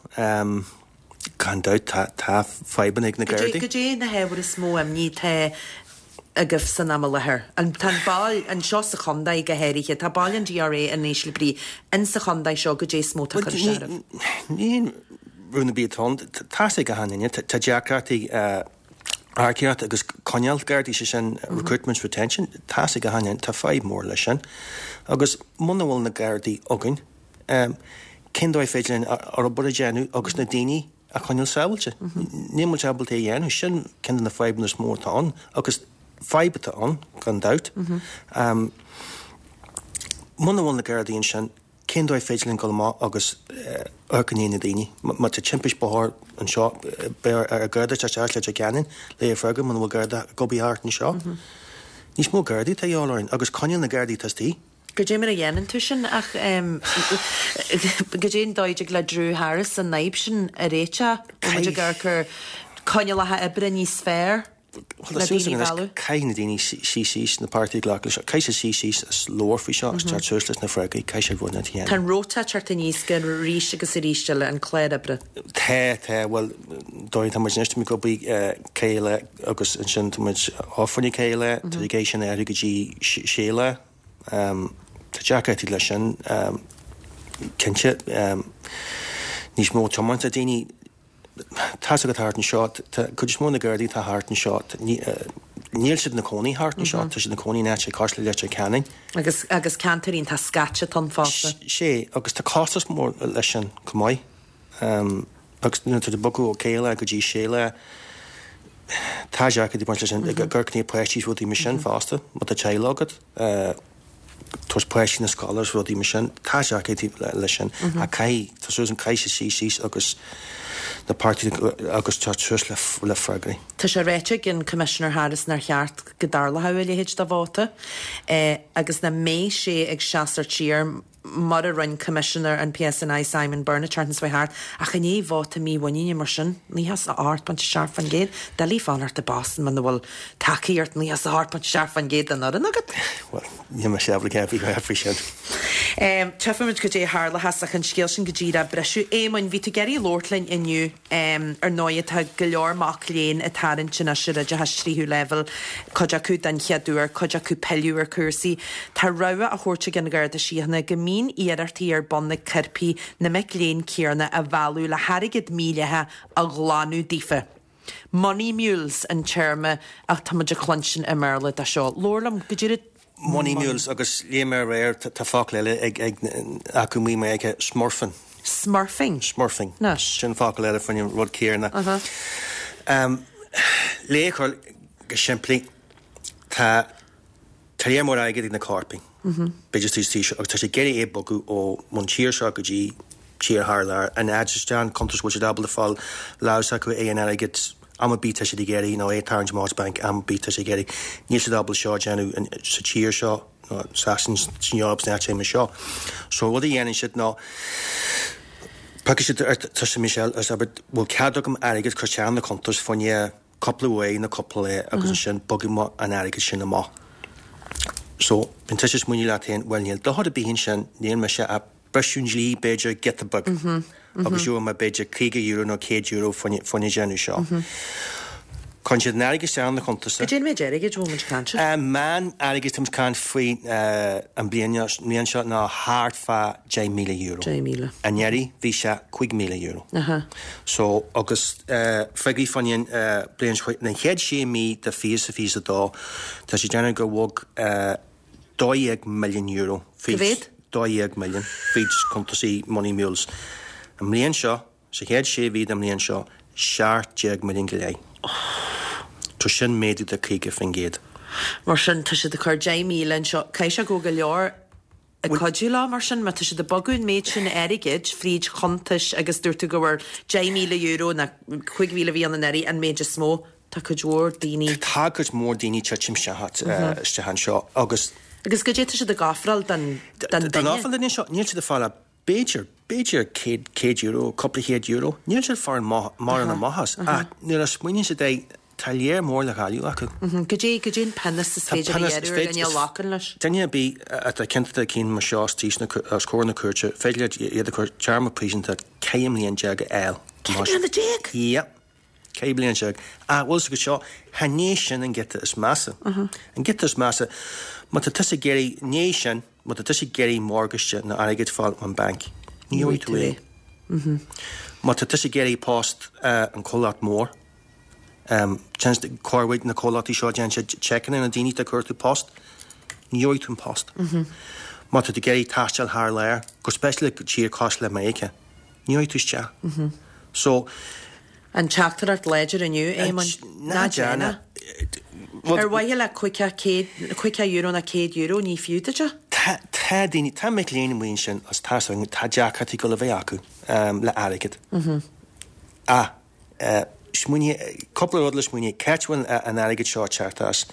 S9: Gan dabht tá fadhbanna ag na Gardaí.
S1: Goidé na hábhair is mó imní atá agaibh san am i láthair? Tá an bail, anseo sa chontae go háirithe, tá bail an GRA in ísle brí in sa chontae seo, goidé is mó atá ag cur isteach oraibh?
S9: Ní haon rún ar bith atá ann. Tá's ag achan duine, tá deacrachtaí earcaíocht agus coinneáil Gardaí, sé sin recruitment retention, tá's ag achan duine, tá fadhb mór leis sin. Agus muna bhfuil na Gardaí againn, cén dóigh féidir linn ár obair a dhéanamh agus na daoine a choinneáil sábháilte? Níl muid ábalta é a dhéanamh. Sin ceann de na fadhbanna is mó atá ann agus fadhb atá ann, gan dabht. Muna bhfuil na Gardaí ansin, cén dóigh féidir linn dul amach agus amharc i ndiaidh na daoine? Má tá timpist bóthair anseo, beidh ar Gharda teacht isteach le Leitir Ceanainn le é a fhreagairt muna bhfuil Garda ag obair thart anseo. Níos mó Gardaí atá a dhíobháil orainn agus coinneáil na Gardaí atá istigh.
S1: Goidé mar a dhéanann tú sin ach goidé an dóigh a dtig le Drew Harris an fhadhb sin a réiteach? Bhfuil muid ag amharc ar coinníollacha oibre níos fearr le daoine a mhealladh?
S9: Caithfidh na daoine suí síos, na páirtithe ag glacadh leis seo, caithfidh siad suí síos is labhairt faoi seo agus teacht suas leis na freagraí, caithfidh siad rud inteacht a dhéanamh.
S1: Tá an rota ag teacht aníos go arís agus arís eile, an clár oibre.
S9: Tá, tá, bhuel, dóigh tá muid anois, tá muid ag obair 4 lá agus ansin tá muid off fá choinne 4 lá, tá siad ag iarraidh sin a athrú go dtí 6 lá. Tá deacrachtaí leis sin, cinnte. Níos mó tiomáint ag daoine. Tá's agat thart anseo, tá cuid is mó na Gardaí atá thart anseo, tá. Níl siad ina cónaí thart anseo, tá siad ina cónaí in áit cosúil le Leitir Ceanainn.
S1: Agus, agus ceantar iontach scaite atá ann fosta.
S9: Sé, agus tá costas mór leis sin chomh maith. Agus nuair atá tú ag bogadh ó 5 lá go dtí 6 lá, tá deacrachtaí ag baint leis sin, ag amharc i ndiaidh páistí is rudaí mar sin fosta, má tá teaghlach agat, tabhairt páistí na scoile is rudaí mar sin, tá deacrachtaí leis sin. Ach caithfidh, tá súil agam, caithfidh siad suí síos agus na páirtithe agus teacht suas le freagraí.
S1: Tá sé ráite ag an Commissioner Harris nár cheart go dtarlódh a leithéid de vóta agus nach mbeidh sé ag seasamh siar mar a rinne Coimisinéir an PSNI Simon Byrne an tseachtain seo thart, ach i ndiaidh vóta mímhuiníne mar sin, 98.7%, doiligh fanacht i bpost muna bhfuil tacaíocht 98.7% den fhoireann agat.
S9: Bhuel, níl mise ábalta a bheith faoi sin.
S1: Tchífimid goidé a tharlóchas ach an scéal sin go díreach a bhriseadh. Éamoinn, bhí tú ag iarraidh labhairt linn inniu. Ar ndóighe tá go leor mac léinn ag tarraingt anois ar oideachas tríú leibhéal, cuid acu den chéad uair, cuid acu pilleadh ar chúrsaí. Tá rabhadh á thabhairt ag an Gharda Síochána go mbíonn iarrachtaí ar bun ag coirpigh na mic léinn céanna a mhealladh le hairgead mídhleathach a ghlanadh daofa. Money mules an téarma ach tá muid ag cluinstin i mBéarla dó seo. Labhair liom, goidé rud.
S9: Money mules agus léigh mé aréir tá focal eile ag ag acu amuigh i Meiriceá, smurfing.
S1: Smurfing?
S9: Smurfing.
S1: Anois.
S9: Sin focal eile faoin rud céanna.
S1: Uh-huh.
S9: Le é a chur go simplí, tá tá lear mór airgid ag na coirpigh, b'fhéidir sa tír seo, agus tá siad ag iarraidh é a bogadh ó ón tír seo go dtí tír thar lear, an fhad is an cuntas bhfuil siad ábalta fáil lámh s'acu é an airgead am ar bith tá siad ag iarraidh nó é a tarraingt amach as banc am ar bith tá siad ag iarraidh. Níl siad ábalta seo a dhéanamh sa tír seo nó Sasain, san Eoraip sna áiteanna mar seo. So rud a dhéanann siad ná piocfaidh siad ar tusa Michelle agus abair bhfuil cead agam airgead cur isteach na cuntas fá choinne cúpla uair nó cúpla lá agus ansin bogfaidh mé an airgead sin amach. So bíonn tusa ag smaoineamh leat féin bhuel níl dochar ar bith ansin níl mise ach briseadh an dlí b'fhéidir giota beag agus gheobhaidh mé b'fhéidir €50 nó €100 faoina déanamh seo. Cuireann siad an airgead isteach ina chuntas.
S1: Goidé an méid airgid a bhfuil muid ag caint air?
S9: Meán airgid tá muid ag caint faoi an bliain seo ná thart fá €10,000.
S1: 10,000.
S9: Anuraidh bhí sé €5,000. So agus figiúirí faoin bliain seo, na chéad sé mí de 2022 tá sé ag déanamh gur bhog €12 milliún
S1: Cá mhéad?
S9: 12 milliún fríd cuntasaí Money Mules. An mbliain seo, sa chéad sé mhí den mbliain seo, 17 milliún go leith. So sin méadú de 50%.
S1: Mar sin, tá siad ag cur 10,000 anseo. Caithfidh sé go bhfuil go leor ag cuidiú leo mar sin, má tá siad ag bogadh an méid sin airgid fríd chuntais agus dúirt tú go bhfuair €10,000 nó 5,000 a bhí ann anuraidh an méid is mó. Tá cuid mhór daoine.
S9: Tá cuid mhór daoine titim isteach anseo agus.
S1: Agus goidé tá siad ag ofráil don
S9: duine? Don ofráil don duine seo, níl siad ag fáil ach b'fhéidir, b'fhéidir €100, cúpla chéad euro. Níl siad ag fáil mórán amach as ach nuair a smaoiníonn siad air, tá lear mór le cailleadh acu.
S1: Goidé, goidé an pionós is féidir a ghearradh ar dhuine a ghlacann leis?
S9: Duine ar bith atá ciontach i gcionn mar seo os comhair na cúirte, féidir leat iad a chur téarma príosúnta 14 mbliain a fháil.
S1: 14 mbliana?
S9: Yep. 14 bliain. Ach bhfuil 's agat seo, chan é sin an giota is measa. An giota is measa, má tá tusa ag iarraidh, ní sin, má tá tusa ag iarraidh morgáiste nó airgead fáil ón banc, ní gheobhaidh tú é. Má tá tusa ag iarraidh post an comhlacht mór, cuid na comhlachtaí seo déanann siad seiceanna ar na daoine atá ag cuartú post, ní gheobhaidh tú an post. Má tá tú ag iarraidh taisteal thar lear, go speisialta go tír cosúil le Meiriceá, ní gheobhaidh tú isteach. So.
S1: An teachtaireacht láidir inniu, Éamoinn.
S9: Ná déan é.
S1: Ar mhaithe le €50 nó €100, ní fiú duit é.
S9: Tá daoine, tá mic léinn amuigh ansin agus tá 's againn, tá deacrachtaí ag dul a bheith acu le airgead. Ach smaoinigh, cúpla rud le smaoineamh, cá háit a bhfuil an airgead seo ag teacht as?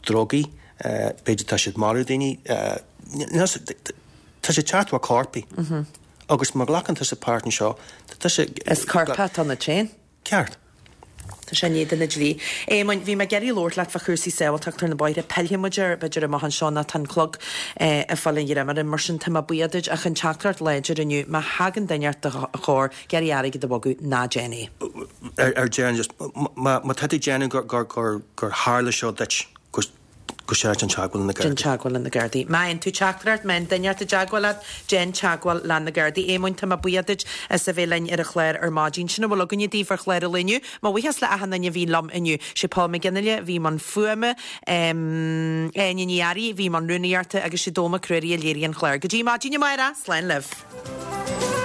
S9: Drugaí, b'fhéidir tá siad marú daoine, tá sé ag teacht ó choirpigh. Agus má ghlacann tusa páirt anseo, tá tusa.
S1: Is coirpeach atá ionat féin.
S9: Ceart.
S1: Tá sé in éadan an dlí. Éamoinn, bhí mé ag iarraidh labhairt leat fá chúrsaí sábháilteachta ar na bóithre. Pillfidh muid air, b'fhéidir, amach anseo nó tá an clog ag fáil an ghreim orainn. Mar sin, tá mé buíoch duit ach an teachtaireacht láidir inniu, má thagann duine ort do chomhair, ag iarraidh airgead a bhogadh, ná déan é.
S9: Ar deireadh, just, má tá tú ag déanamh gur tharla seo duit, gur. Go searc déan teagmháil le na Gardaí.
S1: Déan teagmháil le na Gardaí. Má fhaigheann tú teachtaireacht, má fhaigheann duine ort i dteagmháil leat, déan teagmháil le na Gardaí. Éamoinn, tá mé buíoch duit as a bheith linn ar an chlár ar maidin. Sin a bhfuil againne daoibh ar chlár an lae inniu. Mo bhuíochas le achan duine a bhí liom inniu. Sé Paul McGinley a bhí i mbun fuaime, Áine Ní Fhearraigh a bhí i mbun rúnaíochta agus sé Dónall Mac Ruairí a léirigh an clár. Go dtí maidin amárach, slán libh.